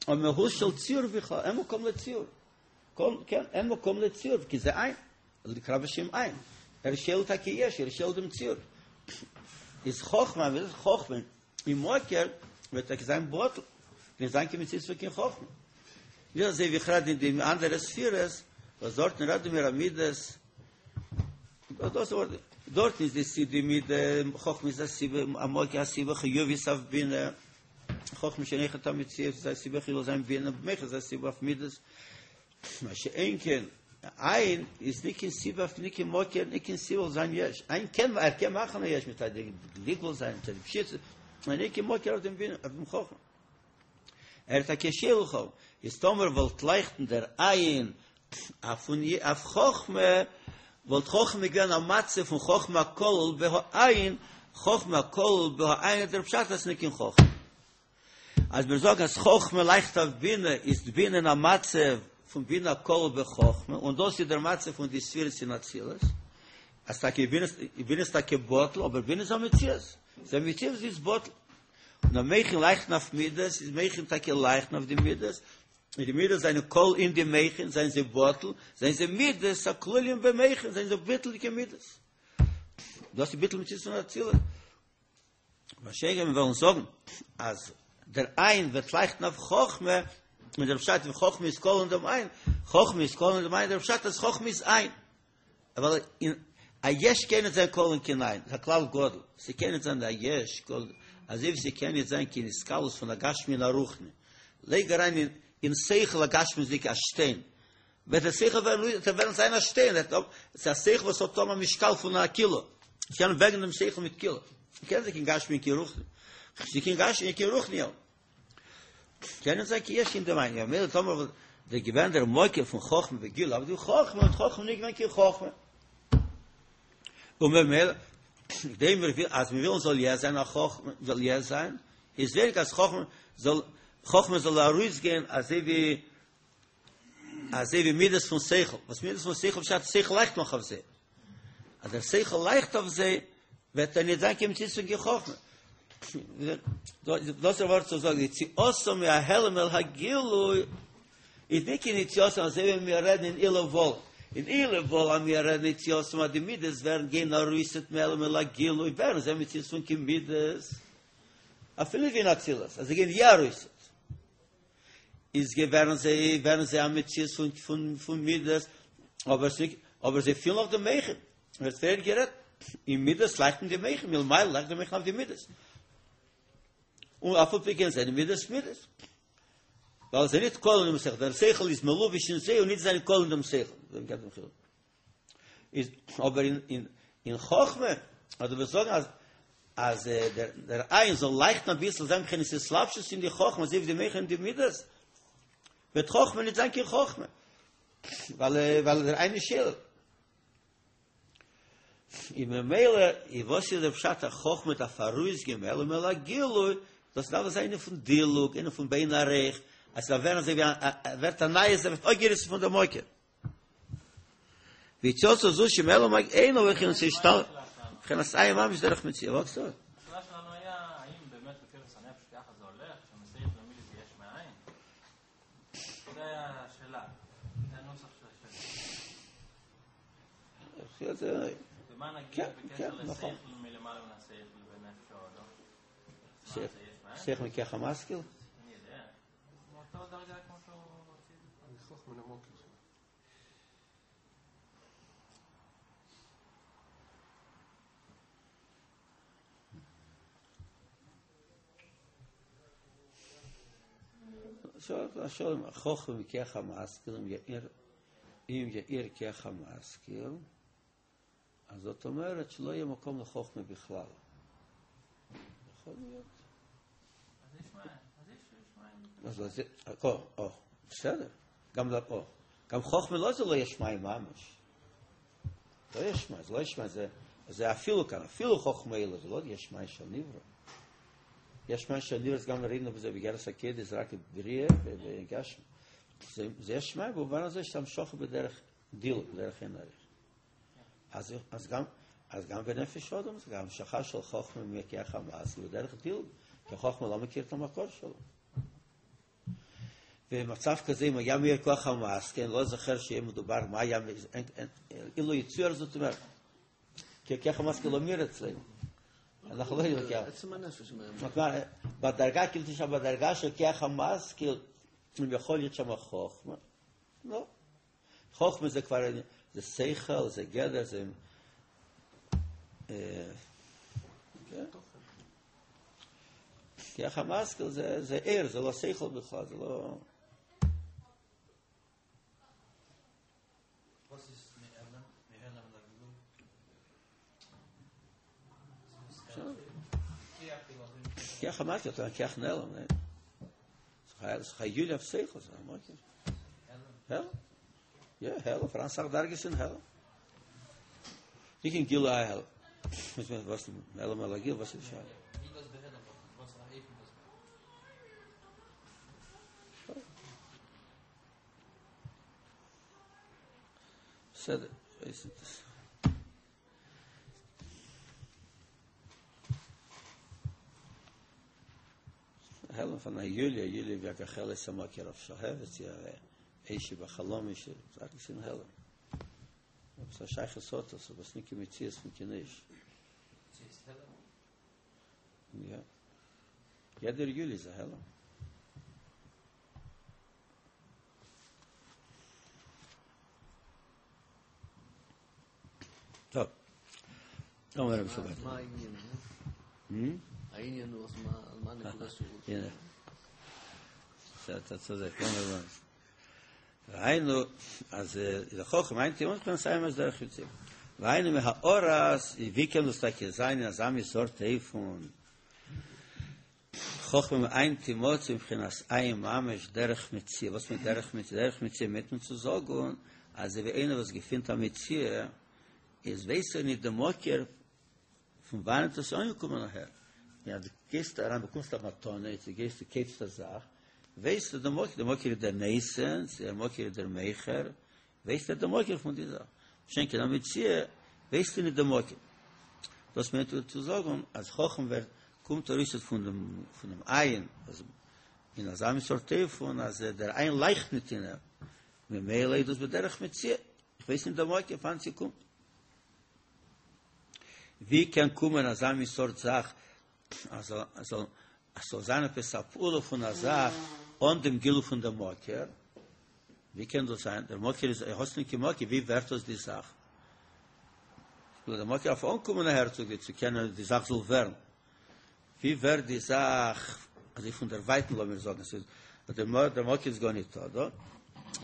או מהות של ציור בכלל, אין מקום לציור. כן, אין מקום לציור, כי זה אין. נקרא בשם אין. ער שולל טאקע יש, ער שולל דעם ציור. איז חכמה, ווען איז חכמה? אין מקור וועט טאקע זיין בטל. נישט זיין קיין מציאות פון קיין חכמה. נישט אזוי ווי איך רעד אין די אנדערע ספירות, וואס דארטן רעדן מיר א מידות, דאס ווארט, דארטן איז די סיבה מידה, חכמה איז א סיבה, א מקור א סיבה חיובית אויף בינה, חכמה שאין אויכעט א מציאות איז א סיבה חיובית זיין בינה, מוחין איז א סיבה אויף מידות, מה שאין כן, אין איז נישט קיין סיבה אויף נישט קיין מקור, נישט קיין סיבה זאל זיין יש, אין קען, ער קען מאכן א יש מיט א גלגול זיין, מיט א פשיטות, נאר נישט קיין מקור אויף דעם בינה, אויף דעם חכמה. ער האט א קשיא לכאו', איז טאמער וואלט לייכטן דער אין אויף אויף חכמה, וואלט חכמה געווען א מצב פון חכמה הכלול בהאין, חכמה הכלול בהאין איז דער פשט אז ס'נישט קיין חכמה. אז מיר זאגן אז חכמה לייכט אויף בינה, איז די בינה אין א מצב פון בינה הכלול בחכמה, און דאס איז דער מצב פון די ספירות אין אצילות, אז טאקע בינה איז טאקע בטל, אבער בינה איז א מציאות, ס'איז א מציאות וואס איז בטל. און די מוחין לייכטן אויף מידות, איז מוחין טאקע לייכטן אויף די מידות, און די מידות זענען כלול אין די מוחין, זענען זיי בטל, זענען זיי מידות הכלולים במוחין, זענען זיי ביטול'דיגע מידות. דאס איז ביטול מציאות פון אצילות. מה שאין כן מיר וועלן זאגן אז דער אין וועט לייכטן אויף חכמה, און דער פשט ווי חכמה איז כלול אין דעם אין, חכמה איז כלול אין דעם אין, דער פשט אז חכמה איז אין. אבל אין א יש קען נישט זיין כלול אין קיין אין, ס'איז א כלל גדול, ס'קען נישט זיין א יש כלול, אזוי ווי ס'קען נישט זיין קיין התכללות פון א גשמי און א רוחני, לייג אריין אין אין שכל א גשמיות'דיגע א שטיין, וועט דער שכל ווערן וועט ער וועלן זיין א שטיין, ס'איז א שכל וואס האט אן א משקל פון א קילא, מ'קען וועגן דעם שכל מיט קילא, ס'קען זיין קיין גשמי און קיין רוחני, ס'איז קיין גשמי און קיין רוחני. קען נישט זיין קיין יש אין דעם ענין, ממילא טאמער וואלט דער געווען דער מקור פון חכמה בגילוי, אבער די חכמה האט חכמה נישט געווען קיין חכמה. און ממילא, כדי מיר וויל, אז מיר ווילן זאל יא זיין א חכמה, זאל יא זיין, איז ווייניג אז חכמה זאל, חכמה זאל ארויסגיין אזוי ווי, אזוי ווי מידות פון שכל, וואס מידות פון שכל פשט שכל לייכט נאך אויף זיי, אז דער שכל לייכט אויף זיי, וועט ער נישט זיין קיין מציאות פון קיין חכמה. דאס איז ווארט צו זאגן, יציאתו מהעלם אל הגילוי, איז נישט קיין יציאתו אזוי ווי מיר רעדן אין עילוי וואל. אין עילוי וואל אז מיר רעדן יציאתו אז די מידות ווערן גיין ארויסעט מהעלם אל הגילוי, ווערן זיי מציאות פון קיין מידות, אפילו ווי אין אצילות, אז זיי גייען יא ארויסעט. איז געווערן זיי ווערן זיי א מציאות פון פון פון מידות, אבער זיי אבער זיי פילן אויך די מוחין, ווי עס ווערט גערעדט, אין מידות לייכטן די מוחין, מלמעלה לייכט די מוחין אויף די מידות, און אף על פי כן זענען מידות מידות, ווייל זיי ניט כלול אין דעם שכל, דער שכל איז מלובש אין זיי און ניט זיינען כלול אין דעם שכל, ווען געבט דעם חילוק. איז אבער אין אין אין חכמה אז דו וועסט זאגן אז אז דער דער אין זאל לייכטן אביסל זיין בחינת התלבשות אין די חכמה אזוי ווי די מוחין אין די מידות וועט חכמה נישט זיין קיין חכמה ווייל ווייל דער אין איז שולל. און ממילא איז וואס איז דער פשט אז חכמה דארף ארויסגיין מהעלם אל הגילוי, דאס דארף זיין ענין פון דילוג, ענין פון באין ערוך, אז ס'דארף ווערן אזוי ווי א, ווערט א נייע זאך, ווערט אפגעריסן פון דער מקור. ויציאתו זו שמהעלם אינה אלא בחינת השתלשלות, בחינת אין ממש דרך מציאה, וואס זאגסטו? השאלה שלנו היה האם באמת בכוחות הנפש ככה זה הולך, שמשכל ומידות זה יש מאין? זה היה השאלה, זה הנוסח של השאלה. ומה נגיד כן, בקשר נכון. לשכל מלמעלה מן השכל בנפש האדם? מה, זה יש מאין? שכל מכח המשכיל? אני יודע. מאותו דרגה כמו שהוא הוציא. אני חוכמה נמוק. שואל, חוכמה מכח המשכיל, אם יאיר כח המשכיל, אז זאת אומרת שלא יהיה מקום לחוכמה בכלל. יכול להיות. אז יש מאין, אז יש מאין. אז זה, או, או, בסדר. גם לא, או. גם חוכמה לא זה לא יש מאין ממש. לא יש מאין, זה לא יש מאין, זה אפילו כאן, אפילו חוכמה אלו, זה לא יש מאין של נברא. יש מאין של נברא, אז גם ראינו בזה בגרס הקדש, זה רק בריאה וגשם. זה יש מאין במובן הזה שאתה משוך בדרך דילוג, בדרך אין ערך. אז גם בנפש אדם, זה גם המשכה של חוכמה מכח המעש, בדרך דילוג, כי החוכמה לא מכיר את המקור שלו. ומצב כזה, אם היה מאיר כוח המעש, כן, לא זוכר שיהיה מדובר מה היה, אין, אין, אילו יצויר, זאת אומרת, כי כוח המעש לא מאיר אצלנו. אנחנו לא יודעים כוח. עצם הנפש מאיר. זאת אומרת, בדרגה, כאילו תשמע, בדרגה של כוח המעש, כאילו, אם יכול להיות שם חוכמה, לא. חוכמה זה כבר, זה שכל, זה גדר, זה, כן. כוח המשכיל זה ער, זה לא שכל בכלל, זה לא... וואס איז מהעלם? מהעלם לגילוי? כוח המשכיל, אתה כוח נעלם, אה? זה חיול אויף שכל, זה המוקר. העלם? יא, העלם, פאראן אסאך דרגות אין העלם. נישט קיין גילוי העלם. וואס העלם אל הגילוי, וואס איז שאלה? ווי דאס בהעלם, וואס א אופן דאס בסדר, איז דאס. העלם פון א יוליה, יוליה ווי א גחלת סמאקער אויף שלהבת, יא, אש בחלום איש, זאג איך אין העלם. אבער ס'איז א שייכות סוד, אז וואס נישט קיין מציאות פון קיין איש. יא. יעדער יולי איז א העלם. טוב. אומר רבי שבת. מה העניין? העניין הוא, אז מה הנקודה שהוא רוצה? הנה. אתה צודק, לא מובן. והיינו, אז לחוכמה, אין טיעון כאן סיים אז דרך יוצאים. והיינו מהאורס, ווי קען דאס טאקע זיין, אז עם סארט אופן. חוכמה מאין תימצא מבחינת אין ממש דרך מציאה. וואס מיינט דרך מציאה? דרך מציאה מיינט מען צו זאגן, אז ווי איינער וואס געפינט א מציאה, איז ווייסט ער נישט דעם מקור פון וואנעט עס איז אנגעקומען אהער. יא, דו גייסט אריין, באקומסט א מתנה, דו גייסט, דו קויפסט א זאך, ווייסט דער מקור, דער מקור איז דער נותן, דער מקור איז דער מוכר, ווייסט ער דער מקור פון די זאך. מה שאין כן א מציאה, ווייסט ער נישט דעם מקור. דאס מיינט צו זאגן, אז חכמה ווערט, קומט ארויס פון דעם, פון דעם אין, אז אין אזא מין סארט אופן, אז דער אין לייכט נישט אין אים. ממילא איז דאס בדרך מציאה. איך ווייס נישט דער מקור פון וואנעט ס'קומט. ווי קען קומען אזא מין סארט זאך, אז זאל, אז זאל זיין עפעס א פעולה פון א זאך אן דעם גילוי פון דעם מקור? ווי קען דאס זיין? דער מקור איז, האסט נישט קיין מקור, ווי ווערט דאס די זאך? דער מקור דארף אנקומען אהער צו צו קענען די זאך זאל ווערן. ווי ווערט די זאך אזוי פון דער ווייטן לאמיר זאגן, ס'איז דער מקור איז גארניטא דא.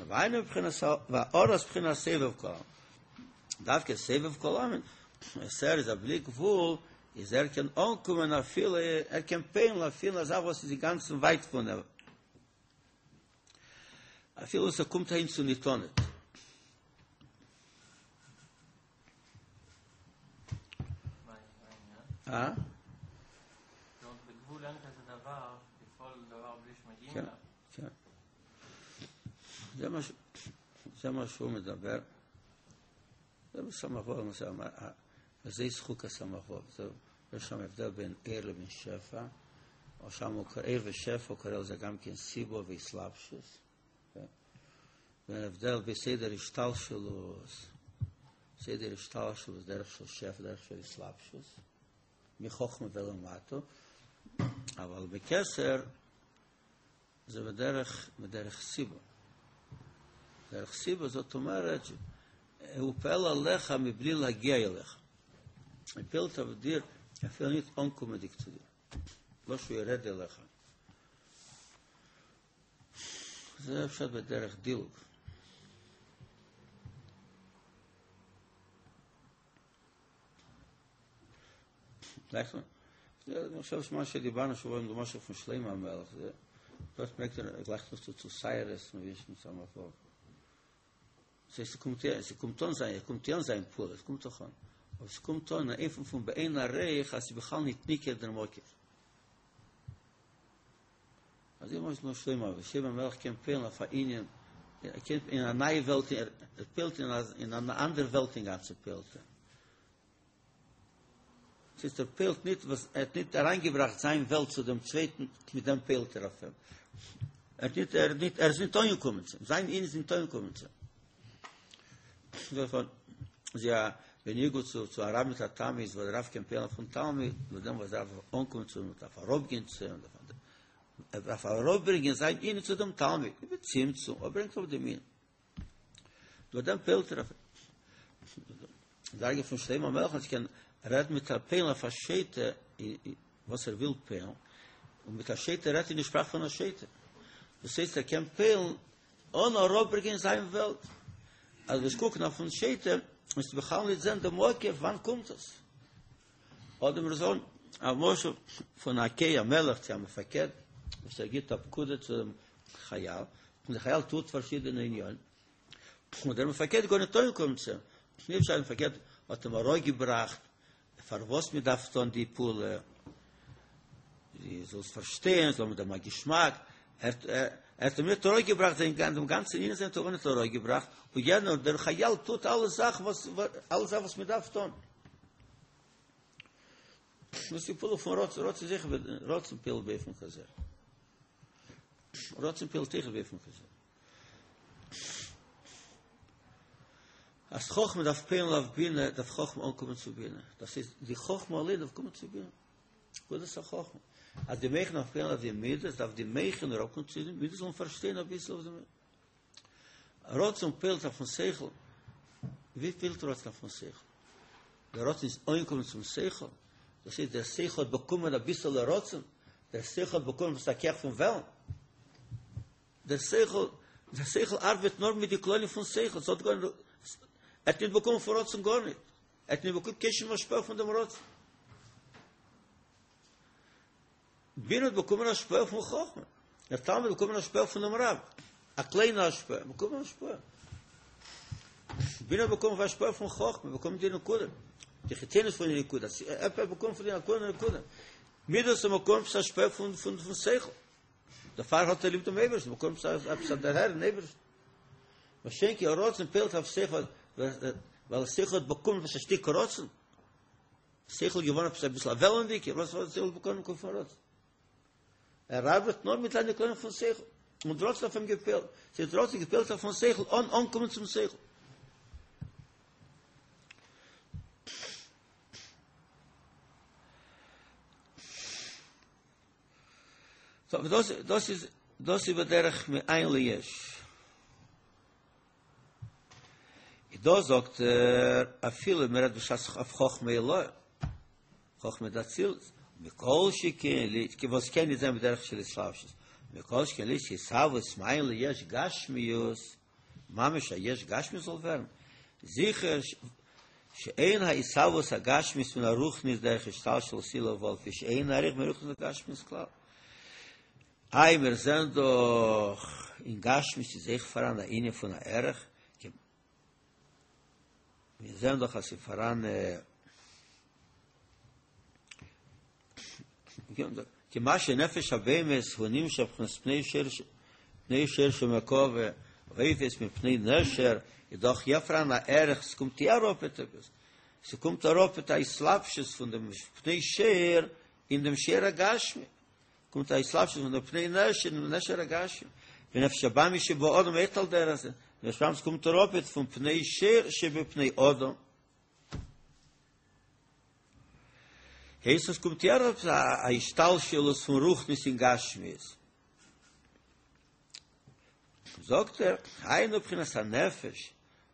והיינו בחינת והארת בחינת סובב כל עלמין. דווקא סובב כל עלמין, אז ער איז א בלי גבול, איז ער קען אנקומען אפילו, ער קען פועל'ן אפילו א זאך וואס איז אינגאנצן ווייט פון אים. אפילו ס'קומט אהין צו ניטא ניט. אה? בגבול אין כזה דבר, לפעול דבר בלי שמגיעים כן, אליו. כן. זה מה שהוא מדבר. זה בסמ"ך וו, למשל, וזה ישחוק הסמ"ך וו. יש שם הבדל בין עיר לבין שפע, או שם הוא קורא, עיר ושפע, הוא קורא לזה גם כן סיבו ואסלאפשוס. כן? וההבדל בסדר השתלשלות, סדר השתלשלות, דרך של שפע, דרך של אסלאפשוס, מחוכמה ולמטה, אבל בכתר זה בדרך סיבה. דרך סיבה זאת אומרת, הוא פועל עליך מבלי להגיע אליך. הפעיל תבדיר, אפילו ניט אנקומענדיק צו דיר. לא שהוא ירד אליך. זה אפשר בדרך דילוג. אני חושב שמה שדיברנו שבוע עם דומה של שלמה המלך, זה דאָרט מעגט ער גלייך נאָך צו צו סיירס, מיר וויסן צו אמאל פאר. ס'הייסט, ס'קומט יא, ס'קומט אן זיין, ס'קומט יא אן זיין פעולה, ס'קומט דאך אן. אבער ס'קומט אן אין אופן פון באין ערוך אז ס'איז בכלל ניט ניכר דער מקור. אזוי למשל נאר שלמה, וואס שלמה המלך קען פועל'ן אויף א ענין, ער קען אין א נייע וועלט, ער פועל'ט אין א אין אן אנדערע וועלט אינגאנצן פועל'ט ער. ס'הייסט ער פועל'ט ניט וואס ער האט ניט אריינגעבראכט זיין וועלט צו דעם צווייטן, מיט דעם פועל'ט ער אויף אים. ער האט ניט, ער האט ניט, ער איז ניט אנגעקומען צו אים, זיין ענין איז ניט אנגעקומען צו אים. זי א בניגוד צו צו א רב מיט א תלמיד, וואס דער רב קען פועל'ן אויפן תלמיד, מיט דעם וואס דארף אנקומען צו אים, דארף אראפגיין צו אים, ער דארף אראפברענגען זיין ענין צו דעם תלמיד, בצמצום, ער ברענגט אראפ דעם ענין. דורך דעם פועל'ט ער אויף דרגה פון שלמה המלך אז קען רעדן מיט א פועל'ן אויף א שוטה וואס ער וויל פועל'ן, און מיט א שוטה רעדט אין די שפראך פון א שוטה. דאס הייסט ער קען פועל'ן אן אראפברענגען זיין וועלט. אז וועסט קוקן אויפן שוטה וועסטו בכלל נישט זען דעם מקור וואנען קומט עס. אדער מיר זאגן א משל פון א קיי א מלך צו א מפקד וואס ער גיט א פקודה צו דעם חייל, און דער חייל טוט פארשידענע עניינים, און דער מפקד גאר ניט אנגעקומען צו אים, נישט אז דער מפקד האט אים אראפגעבראכט פארוואס מען דארף טון די פעולה, דו זאלסט פארשטיין, זאל מיט דעם א געשמאק, ער האט אים ניט אראפגעבראכט זיין דעם גאנצן ענין האט ער ניט אראפגעבראכט, און יענער דער חייל טוט אלע זאכן וואס אלע זאכן וואס מען דארף טון. דאס איז די פעולה פון רצון, רצון זיכער רצון פועל'ט באופן כזה. רצון פועל'ט אויך באופן כזה. אז חכמה דארף פועל'ן אויף בינה, דארף חכמה אנקומען צו בינה. דאס איז די חכמה אליין דארף קומען צו בינה. נקודת החכמה. אז די מוחין דארף פועל'ן אויף די מידות, דארף די מוחין אראפקומען צו די מידות זאלן פארשטיין אביסל אויף דעם. רצון פועל'ט אויפן שכל. ווי פועל'ט רצון אויפן שכל? דער רצון איז אנגעקומען צום שכל. דאס הייסט דער שכל האט באקומען אביסעלע רצון, דער שכל האט באקומען עפעס א כח פון וועלן. דער שכל, דער שכל ארבעט נאר מיט די כללים פון שכל, ס'האט גארנישט, ער האט נישט באקומען פון רצון גארנישט, ער האט נישט באקומען קיין שום השפעה פון דעם רצון. בינה האט באקומען השפעה פון חכמה, דער תלמיד האט באקומען השפעה פון דעם רב, א קליינע השפעה, באקומען השפעה. בינה האט באקומען השפעה פון חכמה, באקומען די נקודה, די חיצוניות פון די נקודה, ער האט באקומען פון די נקודה נקודה. מידות האט באקומען השפעה פון פון שכל. דערפאר האט ער ליב דעם אייבערשטן, באקומט עפעס א דערהער אין אייבערשטן. מה שאין כן רצון פועל'ט אויף שכל, ווייל שכל האט באקומען עפעס א שטיק רצון, שכל איז געווארן עפעס אביסל א וועלענדיגער, וואס האט שכל באקומען פון רצון? ער ארבעט נאר מיט זיינע כללים פון שכל, און רצון האט אויף אים געפועלט, ס'הייסט רצון געפועלט אויפן שכל אן אנקומען צום שכל. סאו דאס דאס איז דאס איז בדרך מאין ליש. איז דא זאגט ער אפילו מען רעדט בשעת אויף חכמה עילאה, חכמה דאצילות, מכל שכן לי, כי וואס קען נישט זיין בדרך של התלבשות, מכל שכן להיות התהוות מאין ליש גשמיות, ממש א יש גשמי זאל ווערן, זיכער שאין ההתהוות הגשמית מן הרוחנית דרך השתלשלות עילה ולפי שאין ערוך מרוחנית לגשמיות כלל. איי מיר זעען דאך אין גשמיות איז אויך פאראן א ענין פון א ערך, מיר זעען דאך אז ס'איז פאראן. כי מה שנפש הבהמית הוא נמשך בבחינת פני שור פני שור שבמרכבה ועופות מפני נשר איז דאך יא פאראן א ערך ס'קומט יא אראפעט עפעס ס'קומט אראפעט א התלבשות פון דעם פני שור אין דעם שור הגשמי קומט א התלבשות פון דעם פני נשר אין דעם נשר הגשמי ונפש הבהמית שבאדם אויכעט על דרך זה נפש הבהמית קומט אראפעט פון פני שור שבפני אדם הייסט עס קומט יא אראפ א השתלשלות פון רוחניות אין גשמיות. זאגט ער, היינו בחינת הנפש,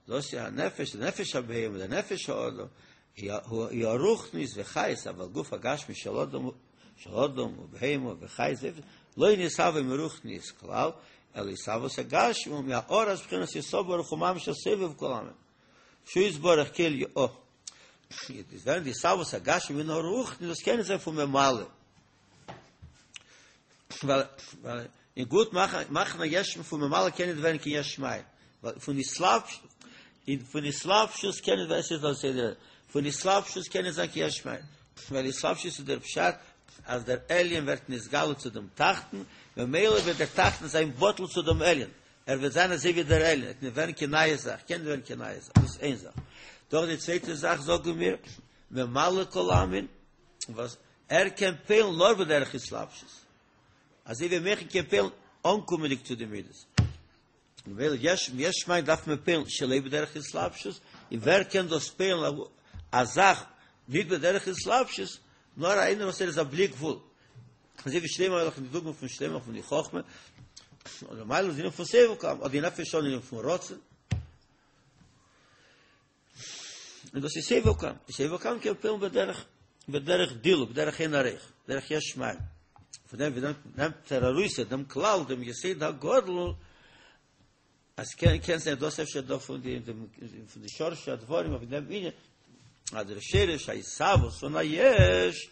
דאס איז הנפש, די נפש הבהמה, די נפש האדם, היא הרוחניות וחיות, אבל גוף הגשמי של אדם, של אדם ובהמה וחיות, לא נתהווה מרוחניות כלל, אלא התהוות הגשמי הוא מהארת בחינת אין סוף ברוך הוא ממש הסובב כל עלמין. שהוא יתברך כל י א. איז ווען די התהוות הגשמי מן הרוחני דאס קען נישט זיין פון ממלא. ווייל ווייל אין גוט מאכן מאכן א יש פון ממלא קען נישט ווערן קיין יש מאין. ווייל פון התלבשות אין פון התלבשות קען נישט ווערן ס'איז דאס סדר. פון התלבשות קען נישט זיין קיין יש מאין. ווייל התלבשות איז דער פשט אז דער עליון ווערט נתגלה צו דעם תחתון, ממילא וועט דער תחתון זיין בטל צו דעם עליון. ער וועט זיין אזוי ווי דער עליון, ער וועט נישט ווערן קיין נייע זאך, קען נישט ווערן קיין נייע זאך, דאס איז איין זאך. דאך די צווייטע זאך זאגן מיר, ממלא כל עלמין, וואס ער קען פועל'ן נאר בדרך התלבשות, אזוי ווי מוחין קען פועל'ן אנקומענדיג צו די מידות. ממילא יש יש מאין דארף מען פועל'ן שלא בדרך התלבשות, און ווער קען דאס פועל'ן א זאך נישט בדרך התלבשות, נאר איינער וואס ער איז א בלי גבול. אזוי ווי שלמה המלך אין די דוגמא פון שלמה פון די חכמה, אדער למעלה זינען פון סובב כל עלמין, אדער די נפש אן ענין פון רצון. און דאס איז סובב כל עלמין. סובב כל עלמין קען פועל'ן בדרך, בדרך דילוג, בדרך אין ערוך, בדרך יש מאין. פון דעם ווי נעמט ער ארויס דעם כלל, דעם יסוד הגדול, אז קען קען זיין דאס אפשר דא פון די פון די שורש הדברים אויף דעם ענין, אז דער שרש ההתהוות פון א יש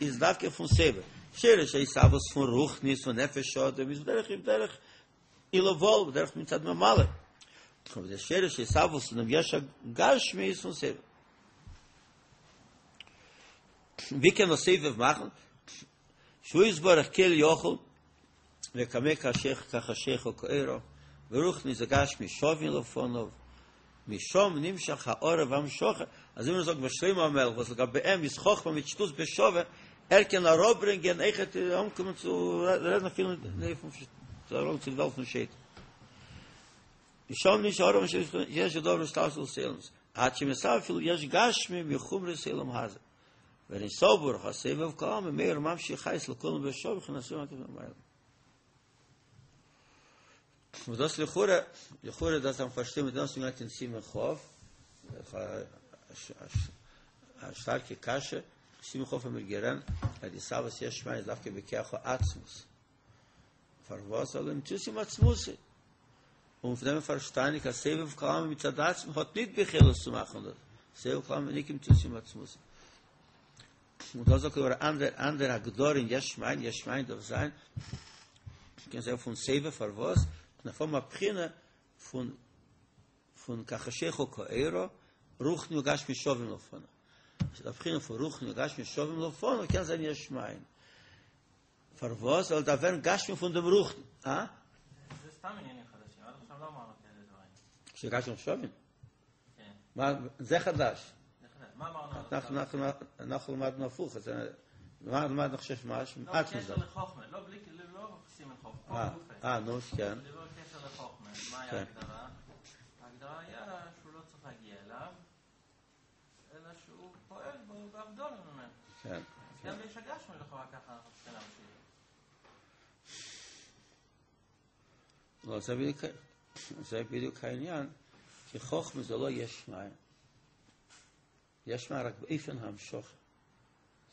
איז דווקא פון סובב, שרש ההתהוות פון רוחניות פון נפש האדם איז בדרך בדרך עילא ועלול, בדרך מצד ממלא, אבער דער שרש ההתהוות פון דעם יש הגשמי איז פון סובב. ווי קען דאס סובב מאכן? שהוא יתברך כל יכול וקמי כחשיכה כאורה, ורוחניות וגשמיות שווין לפניו, משם נמשך הארה והמשכה, אזוי ווי מיר זאגן ביי שלמה המלך וואס לגבי אים איז חכמה מיט שטות בשווה, ער קען אראפברענגען אויכעט אנקומען צו רעדן אפילו פון צו די וועלט פון שטן. משם נמשך הארה והמשכה יש ודבר השתלשלות העולמות, עד שמתהווה אפילו יש גשמי מחומריות העולם הזה. ואין סוף ברוך הסובב כל עלמין מאיר וממשיך חיות לכולם בשוה בבחינת אור מקיף מלמעלה. און דאס לכאורה, לכאורה דאס דארף מען פארשטיין מיט דעם וואס מ'גייט אין סימן כ', א שטארקע קשיא, סימן כ' האבן מיר געלערנט אז די התהוות יש מאין איז דווקא בכח העצמות. פארוואס ווייל המציאות עם עצמותו? און פון דעם איז פארשטאנדיג אז סובב כל עלמין מצד עצמו האט ניט ביכולת צו מאכן דאס, סובב כל עלמין ניט קיין מציאות עם עצמותו. און דאס זאגט אבער אנדער אנדער הגדרה אין יש מאין, יש מאין דארף זיין, קען זיין פון סובב פארוואס? דארף האבן א בחינה פון פון כחשיכה כאורה, רוחני וגשמי שווים לפניו. די בחינה פון רוחני וגשמי שווים לפניו קען זיין יש מאין. פארוואס ווייל דארף ווערן גשמי פון דעם רוחני? אה? זה סתם עניינים חדשים, עד עכשיו לא אמרנו כאלה דברים. שגשמי שווים? כן. מה, זה חדש. זה חדש. מה אמרנו עד עכשיו? אנחנו למדנו הפוך, אז מה למדנו עכשיו משהו? לא, בקשר לחוכמה, לא בלי, לא סימן חוכמה, פה גופה. אה, נו, כן. דיבר בקשר לחוכמה, מה היה כן. ההגדרה? ההגדרה היה שהוא לא צריך להגיע אליו, אלא שהוא פועל בו בהבדלה ממנו. כן. גם יש הגשמי לכאורה ככה אנחנו צריכים להמשיך. לא, זה בדיוק, זה בדיוק העניין, כי חוכמה זה לא יש מאין. יש מאין רק באופן המשכה.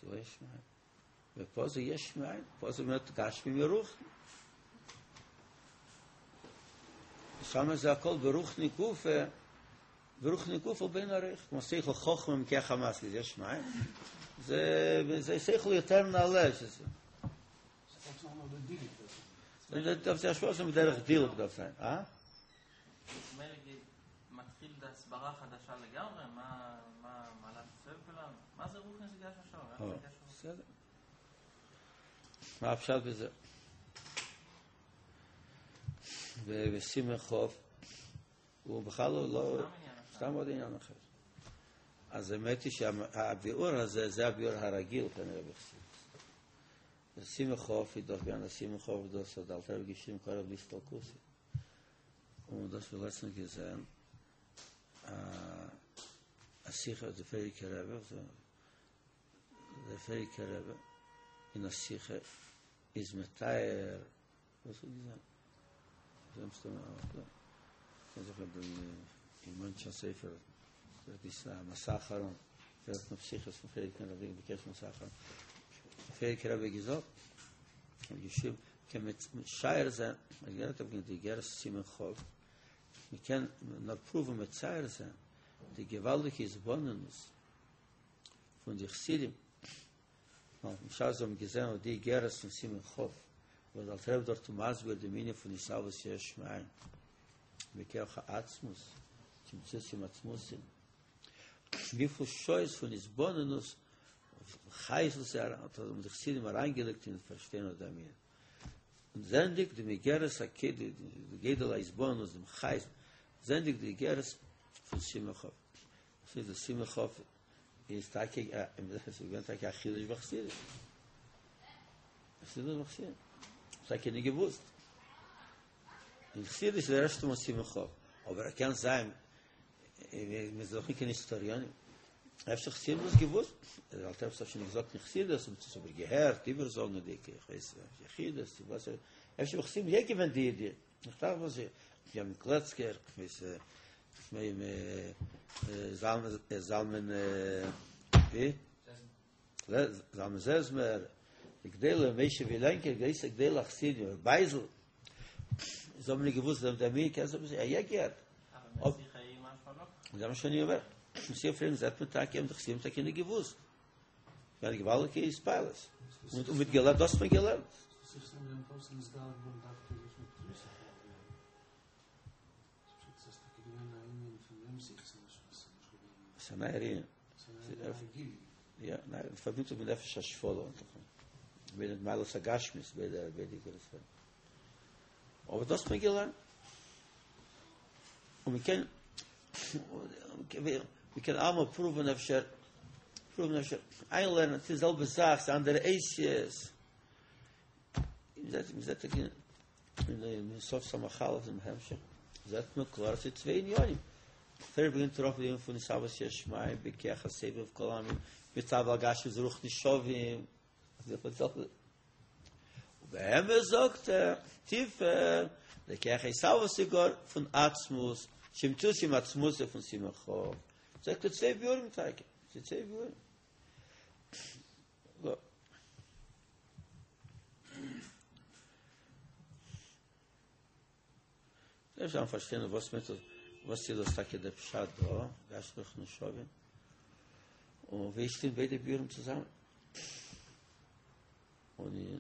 זה לא יש מאין. ופה זה יש מאין, פה זה באמת גשמי מרוחני. שם זה הכל ברוחני גופה, ברוחני גופה באין ערוך, כמו שכל חוכמה מכח המשכיל, יש מאין. זה שכל יותר נעלה שזה. זה דארף זיין השפעה שם בדרך דילוג דארף זיין, אה? מתחיל הסברה חדשה לגמרי, מה, מה, מה לעשות כולם? מה זה רוחני זה גשמי שווה? בסדר. מה הפשט בזה? ובסימן כף הוא בכלל לא, סתם עוד עניין אחר. אז האמת היא שהביאור הזה, זה הביאור הרגיל כנראה בחסידות. סימן כף איז דאך געווען א סימן כף דאס האט דער אלטער רבי געשריבן קרוב להסתלקותו. און דאס מיר לעצטנס געזען א שיחה דער פריערדיגער רבי, דער פריערדיגער רבי אין א שיחה איז מתאר וואס האט געזען? זיי האבן סתם א קען זיך אויב אין מאנשע ספר דאס איז א מסע האחרון דער האט נאך שיחות פון פריערדיגן רבי'ן בקשר מסע האחרון פריערדיגער רבי געזאגט און געשריבן קען מען משער זיין אז גערעדט אויף די אגרת סימן כף מען קען נאר פרואוון מצייר זיין די געוואלדיגע התבוננות פון די חסידים נאר בשעת זיי האבן געזען אט די איגרת פון סימן כ', וואס דער אלטער רבי דארט מסביר דעם ענין פון התהוות יש מאין, בכח העצמות, צמצום עם עצמותו, וויפיל שעות פון התבוננות חיות וואס זיי האבן די חסידים אריינגעלייגט אין פארשטיין אט דעם ענין. און זעענדיג דעם איגרת הק' די גודל ההתבוננות, דעם חיות, זעענדיג די איגרת פון סימן כ', וואס איז די סימן כ'? איז טאקע עס איז געווען טאקע א חידוש בחסידות. חסידות בחסידות. טאקע נישט געוואוסט. אין חסידות איז דער ערשטע מאל סימן כ', אבער ער קען זיין מיר זענען דאך נישט קיין היסטאריאנים. אפשר חסידים האבן דאס געוואוסט. דער אלטער רבי האט שוין געזאגט אין חסידות, און עס אבער געהערט איבערזאגנדיג, איך ווייס יחידות, וואס אפשר חסידים יא געווען די ידיעה. איך טראכט וואס איך האב קלעצקער, איך ווייס מיין זלמן זלמן ווי? זלמן זעזמער, די גדולי משה ווילענקער, גרויסע גדולי החסידים, ר' בייזל, זיי האבן נישט געוואוסט דעם דעם מיר קען זיי יא געהערט. זיי האבן שוין יא מסיע פרעגן זעט מען טאקע האבן די חסידים טאקע נישט געוואוסט. געווען געוואלדיגע התפעלות. און מיט געלערנט דאס האט מען געלערנט. ס'איז א נייער ענין. יא, ניין, פארבינדט זיך מיט נפש השפלה און מיט מעלות הגשמיות ביי דער ביי די גרעסערע. אבער דאס האט מען געלערנט. און מען קען מען קען אלעמאל פרואוון אפשר פרואוון אפשר איינלערנען ס'איז די זעלבע זאך ס'איז אנדערע אותיות מ'זעט מ'זעט אין אין סוף סמך אלף אין המשך זעט מען קלאר אז ס'איז צוויי ענינים פריער ברענגט ער אראפ דעם ענין פון התהוות יש מאין בכח הסובב כל עלמין מצד הגשמיות ורוחניות שווים ובאמת זאגט ער, טיפער, דער כח ההתהוות איז גאר פון עצמות, שמציאותו עם עצמותו פון סימן כ', זאגט ער צוויי ביאורים טאקע, ס'איז צוויי ביאורים. אפשר דארף פארשטיין וואס מיינט דאס, וואס איז דאס טאקע דער פשט דא, גשמיות רוחניות שווים, און ווי שטימט ביידע ביאורים צוזאמען? און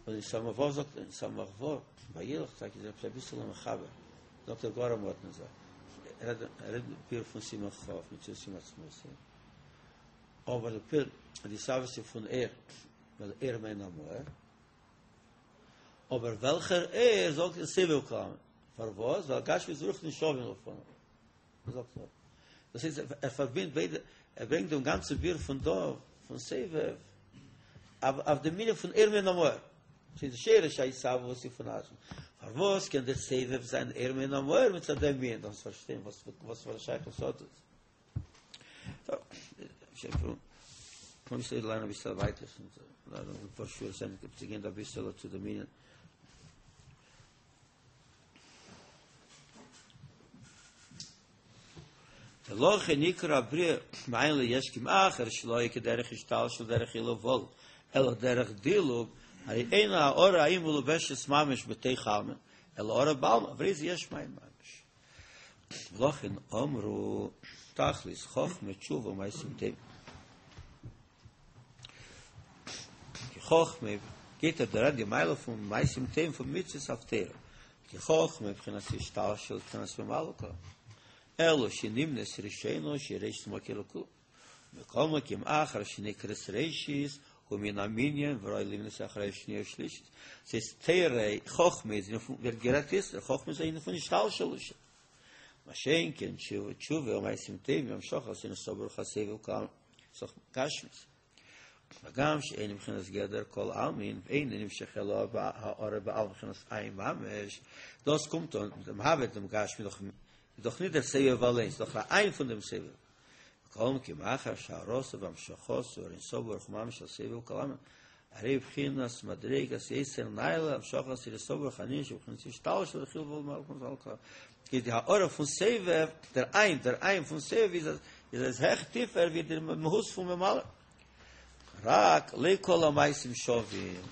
אין סמך ו' זאגט אין סמך ו' וילך טאקע איז עפעס אביסעלע מחבר, זאגט ער גאר א מאדנע זאך, ער רעדט ביאור פון סימן כ' מציאותו עם עצמותו, אבער דער ביאור די התהוות פון אור, ווייל אור מעין המאור, אבער וועלכער אור זאגט ער סובב כל עלמין, פארוואס? ווייל גשמיות ורוחניות שווים לפניו. זאגט ער. דאס הייסט ער פארבינדט ביידע, ער ברענגט דעם גאנצן ביאור פון דא, פון סובב, אויף דעם ענין פון אור מעין המאור. ס'איז די שורש ההתהוות איז פון עצמות. פארוואס קען דער סובב זיין אור מעין המאור מצד דעם ענין? דארפסט פארשטיין וואס וואס פאר א שייכות האט עס. טוב, אפשר קען איך ליינען אביסל ווייטער, פאר שורות צו גיין אביסל צו דעם ענין. ולכן נקרא הבריאה מאין ליש כי מאחר שלא היה כדרך השתלשלות דרך עילוי אלא דרך דילוג, הרי אין הארה ההיא מלובשת ממש בתוך עלמא, אלא הארה בעלמא, והרי זה יש מאין ממש. ולכן אמרו תכלית חכמה תשובה ומעשים טובים. כי חכמה גייט ער דער די מעלה פון מעשים טובים פון מצוות אויף תורה. כי חכמה בחינת השתלשלות בחינת ממלא כל. אלא שנמנית ראשונה שהיא ראשית ומקור לכולם. מכל מקום אחר שנקראת ראשית. הוא מן המנין וראוי להימנות אחרי שנייה ושלישית. ס'איז תורה, חכמה איז פון, ווערט גערעדט איצטער, חכמה איז איינע פון השתלשלות. מה שאין כן תשובה, תשובה ומעשים טובים, המשכת אין סוף ברוך הסובב כל עלמין, ס'איז דאך גשמיות. הגם שאין בבחינת גדר כל עלמין ואין נמשך אלא הארה בעלמא בבחינת אין ממש, דאס קומט אן דעם הבנה דעם גשמי דאך איז דאך ניט דער סובב אליין, ס'איז דאך א אין פון דעם סובב. מכל מקום אחר שהארתו והמשכתו אור אין סוף ברוך הוא ממש הסובב כל עלמין, הרי בבחינת מדרגת יותר נעלה המשכת אור אין סוף ברוך הוא שבבחינת השתלשלות דחילוף מלכות על כי די הארה פון סובב, דער אין, דער אין פון סובב איז אז איז עס העכער טיפער ווי דער מהות פון ממלא. רק לא כל המעשים שווים.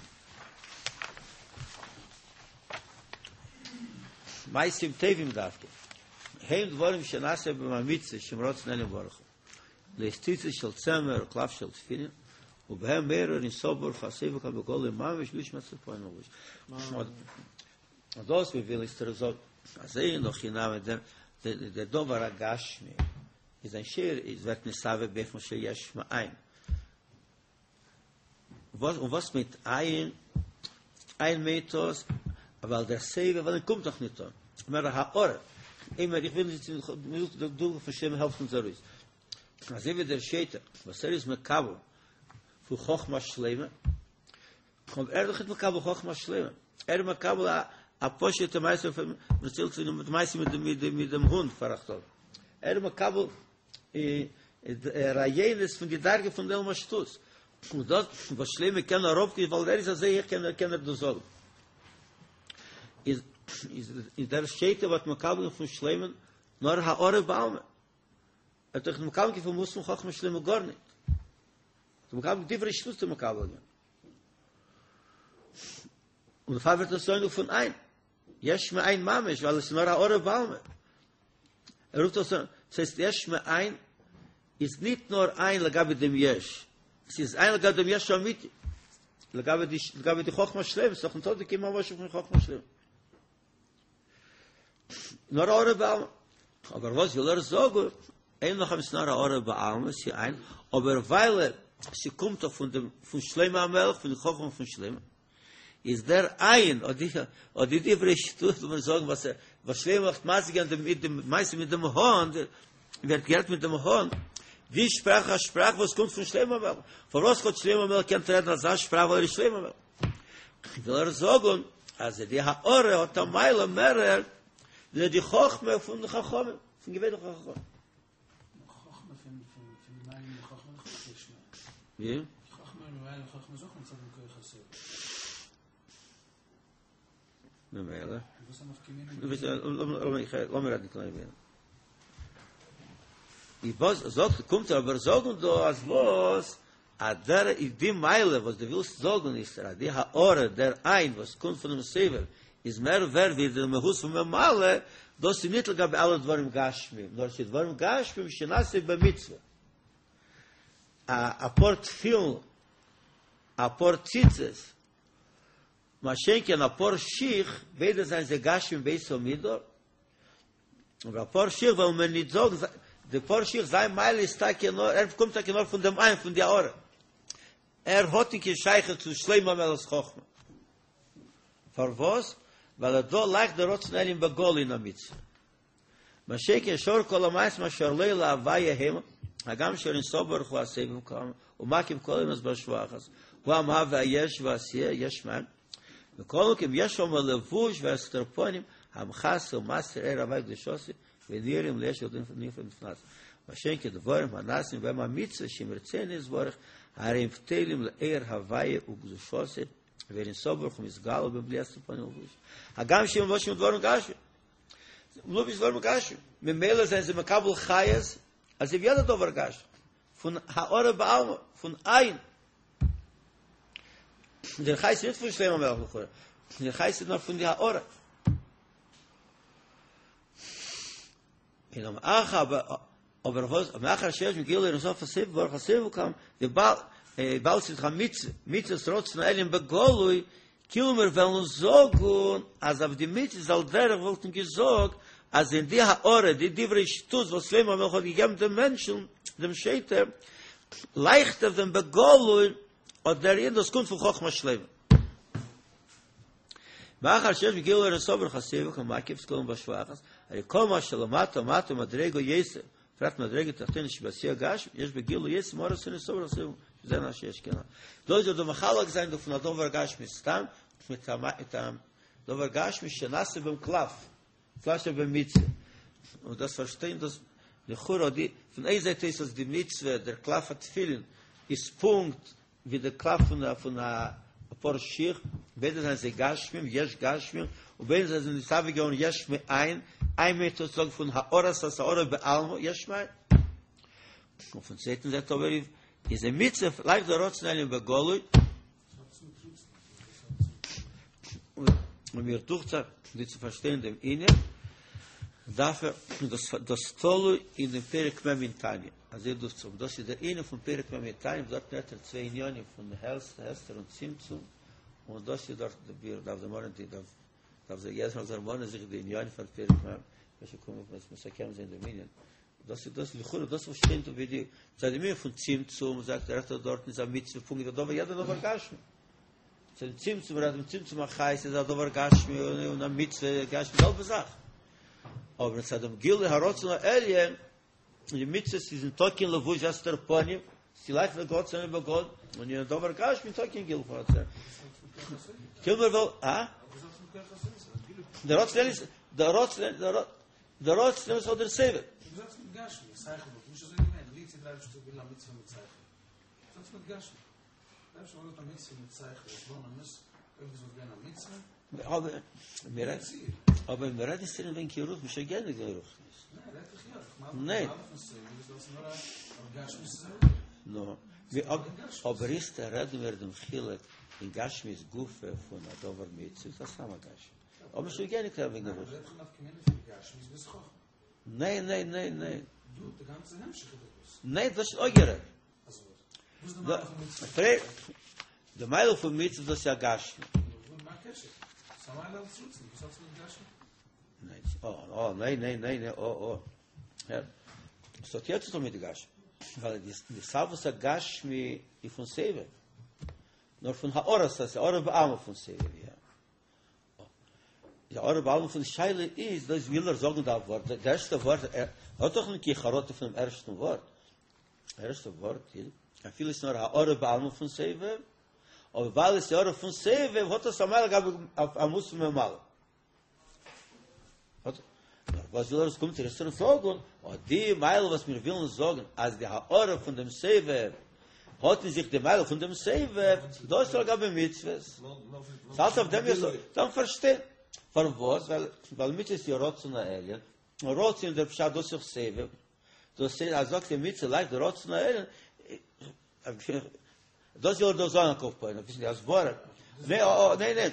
מעשים טובים דווקא. הם דברים שנעשה בהם המצוה שהם רצון העליון ברוך הוא. להיות ציצית של צמר וקלף של תפילין, ובהם מאיר אור אין סוף ברוך הוא הסובב כל בגלוי ממש בלי שום הסתר פנים לבוש. און דאס וויל איצטער זאגן אז אין הכי נמי דער דער דבר הגשמי איז זיין שיעור איז ווערט נתהווה באופן של יש מאין. וואס און וואס מיינט אין? אין מיינט דאס ווייל דער סובב אליין קומט דאך נישט אן. מער הארה. אימער איך וויל נישט דער דוגמא פון שלמה העלפט אונז ארויס. אזוי ווי דער שוטה וואס ער איז מקבל פון חכמת שלמה אבער ער איז דאך נישט מקבל חכמת שלמה, ער איז מקבל א א פשוטע מעשה פון מ'ציילט פון די מעשה מיט מיט מיט דעם הונט פאראכטאג, ער איז מקבל רעיונות פון די דרגה פון עולם השטות, און דאס וואס שלמה קען אראפגיין ווייל ער איז אזוי הויך קען ער קען ער דאס זאגן. איז איז דער שוטה וואס מקבל פון שלמה נאר הארה בעלמא, ער האט דאך נישט מקבל פון מהות פון חכמת שלמה גארנישט. דו מקבל דברי שטות דו מקבל געווען. און דערפאר ווערט עס אויך פון אין. יש מאין ממש, ווייל עס איז נאר הארה בעלמא. ער רופט דאס אן, ס'הייסט יש מאין איז ניט נאר אין לגבי דעם יש, עס איז אין לגבי דעם יש האמיתי, לגבי די לגבי די חכמה שלמה, ס'איז דאך ניטא די קיין ממש פון חכמה שלמה. נאר הארה בעלמא. אבער וואס וויל ער זאגן? אין לך איז נאר הארה בעלמא, ס'איז אין, אבער ווייל ס'קומט דאך פון דעם פון שלמה המלך, פון די חכמה פון שלמה, איז דער אין, אט די אט די דברי שטות וואס מיר זאגן וואס וואס שלמה האט משיג געווען דעם מיט דעם מעשה מיט דעם האן, ווערט גערעדט מיט דעם האן, די שפראך א שפראך וואס קומט פון שלמה המלך. פארוואס האט שלמה המלך געקענט רעדן אזא שפראך ווייל ער איז שלמה המלך? וויל ער זאגן אז די הארה האט א מעלה מערער ווי די חכמה פון די חכמים, פון געווענליכע חכמים. חכמה פון פון פון מיין חכמה איך נישט ווי? חכמה מיין חכמה איז אויך מצד דעם כח הסובב. ממילא. וואס איז נפקא מינה? דו ביסט לאמיר רעדן קליין ווייניג. די וואס זאגט קומט ער אבער זאגן דא אז וואס אז דער איז די מעלה וואס דו ווילסט זאגן איז אז די הארה דער אין וואס קומט פונעם סובב איז מער ווערט ווי די מהות פון ממלא, דאס איז ניט לגבי אלע דברים גשמיים, נאר ס'איז דברים גשמיים שנעשו במצוה. א א פאר תפילין, א פאר ציצית, מה שאין כן א פאר שיך, ביידע זענען זיי גשמיים באותה מידה, אבער א פאר שיך וועלן מיר ניט זאגן, די פאר שיך זיין מעלה איז טאקע נאר, ער קומט טאקע נאר פון דעם אין פון די הארה, ער האט ניט קיין שייכות צו שלמה המלך'ס חכמה. פארוואס? ווייל דא לייכט דער רצון העליון בגלוי אין א מצוה. מה שאין כן שאר כל המעשים אשר לא להוויה המה, הגם שאור אין סוף ברוך הוא הסובב כל עלמין, ומקיף כל העולמות בהשוואה אחת, הוא המהווה היש והעשייה יש מאין, מכל מקום יש שם לבוש והסתר פנים המכסה ומסתיר אור הוויה וקדושתו ונראים ליש ונפלא בפני עצמו. מה שאין כן דברים הנעשים בהם המצוה שהם רצונו יתברך הרי הם בטלים לאור הוויה וקדושתו ואור אין סוף ברוך הוא מתגלה בהם בלי הסתר פנים ולבוש. הגם שהם מלובשים דברים גשמיים. מלובש דברים גשמיים. ממילא זענען זיי מקבל חיות אזוי ווי יעדער דבר גשמי. פון הארה בעלמא, פון אין. דער חיות איז נישט פון שלמה המלך לכאורה, דער חיות איז נאר פון די הארה. און מאחר אבער וואס מאחר שיש בגילוי אור אין סוף הסובב ברוך הסובב כל עלמין וויבאלד ס'איז דאך א מצוה, מצוות רצון העליון בגלוי, כאילו מיר וועלן זאגן אז אויף די מצוה איז על דרך וואלטן געזאגט אז אין די הארה די דברי שטות וואס שלמה המלך האט געגעבן דעם מענטשן דעם שוטה לייכט אויף דעם בגלוי. אט דער ענין דאס קומט פון חכמה שלימה. מאחר שיש בגילוי הארת ברוך הסובב כמקיף את כולם בהשפעה אחת, הרי כל מה שלמטה מטה מדרגה יותר, בפרט מדרגה תחתונה שבעשייה גשמית, יש בגילוי יותר מהארת אין סוף ברוך הסובב, שזה מה שיש כנ"ל. דא איז ער דא מחלק זיין דא פון א דבר גשמי סתם, מיט א דבר גשמי שנעשה בהם קלף, קלף שבמצוה. און דאס פארשטיין דאס לכאורה די פון איין זייט איז אז די מצוה דער קלף התפילין איז פונקט ווי דער קלף פון א פון א פאר שיך, ביידע זענען זיי גשמים, יש גשמים, און ביידע זיי זענען נתהווה געווארן יש מאין, איין מיינט דאס זאגן פון הארת הארה בעלמא, יש מאין. און פון צווייטן זייט אבער איז די מצוה לייכט דער רצון העליון בגלוי, און מיר דוכט זיך ווי צו פארשטיין דעם ענין, דארף ער דאס דאס תלוי אין דעם פרק מ' אין תניא, אזוי דוכט זיך, דאס איז דער ענין פון פרק מ' אין תניא, דארט רעדט ער צוויי ענינים פון הסתר און צמצום, און דאס איז דארט דער ביאור, דארף דערמאנען די דארף דארף זיך יעדער זאל דערמאנען זיך די ענינים פון פרק מ', אפשר קומען מיר מסכם זיין דעם ענין. דאס איז דאס לכאורה דאס וואס שטייט ווי די מצד דעם ענין פון צמצום זאגט ער דארט דארט איז א מצוה פונקט ווי דבר יעדער דבר גשמי מצד צמצום רעדט מען צמצום החיות איז א דבר גשמי און א מצוה גשמי זעלבע זאך אבער מצד דעם גילוי הרצון העליון די מצוה איז ניטא קיין לבוש הסתר פנים ס'לייכט דער רצון בגלוי און אין דבר גשמי ניטא קיין גילוי פון רצון קומער וועל א דער רצון איז דער רצון דער דער רצון איז דער סובב. אבער מיר רעדן נישט וועגן קיין רוח, מ'שוין געענדיגט וועגן רוחניות. ניין. נו, אבער איצטער רעדן מיר דעם חילוק אין גשמיות גופא פון א דבר מצוה, איז א סתם א גשמי. האבן שוין געענדיגט רעדן וועגן רוח. ניין ניין ניין ניין. ניין דאס איז אויך גערעדט. די מעלה פון מצוה דאס איז א גשמי. ניין, אה, ניין ניין ניין, אה אה. עס האט יא צו טון מיט די גשמי. ווייל די התהוות הגשמי איז פון סובב. נאר פון הארת, הארה בעלמא פון סובב, יא. די הארה בעלמא פון די שאלה איז דאס וויל ער זאגן דא ווארט די ערשטע ווארט ער האט דאך נישט קיין חרטה פונעם ערשטן ווארט ערשטע ווארט איז אפילו איז נאר הארה בעלמא פון סובב אבער ווייל עס איז הארה פון סובב האט עס א מעלה לגבי א מהות ממלא האט נאר וואס וויל ער עס קומט ער עס זאגן אט די מעלה וואס מיר ווילן זאגן אז די הארה פון דעם סובב האט אין זיך די מעלה פון דעם סובב, דאס איז לגבי מצוות. ס'האלט אויף דעם יסוד, דארף פארשטיין. פארוואס? ווייל ווייל מצוות איז רצון העליון, און רצון דער פשט דאס איז סובב, דאס איז אז זאגט די מצוה לייכט די רצון העליון, דאס וויל ער דא זאגן על כל פנים, אביסל די הסברה. ניין, ניין, ניין,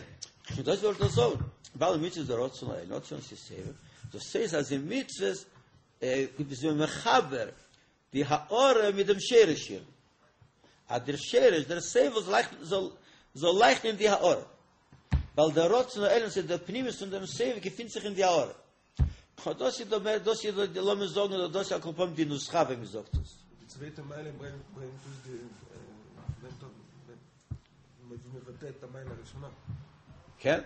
דאס וויל ער דא זאגן, ווייל מצוה איז דער רצון העליון, רצון איז סובב, דאס הייסט אז אין מצוות איז מען מחבר די הארה מיט דעם שרש איר, אז דער שרש, דער סובב זאל לייכטן, זאל, זאל לייכטן אין די הארה, ווייל דער רצון העליון ס'איז דער פנימיות פון דעם סובב געפינט זיך אין די הארה. אט דאס איז דער מער, דאס איז די, לאמיר זאגן, אדער דאס איז על כל פנים די נוסחא ווי מען זאגט עס. די צווייטע מעלה ברענגט ברענגט דאס די ברענגט ווי מבטא את המעלה הראשונה. כן,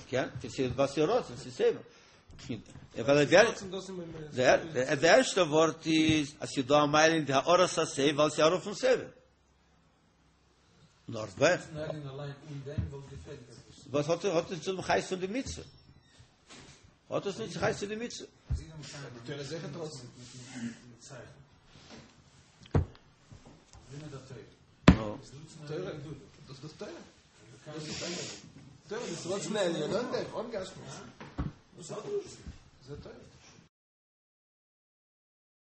כן, ס'איז וואס איז רצון, ס'איז סובב. ווייל דער דער דער ערשטע ווארט איז אז ס'איז דא א מעלה אין די הארת הסובב ווייל ס'איז הארה פון סובב. נאר ווען וואס האט האט עס צום חיות פון די מצוה? האט עס נישט חיות פון די מצוה? דאס דאס תורה. דאס איז תורה. תורה איז רצון העליון, אן דעם, אן גשמיות. דאס איז תורה.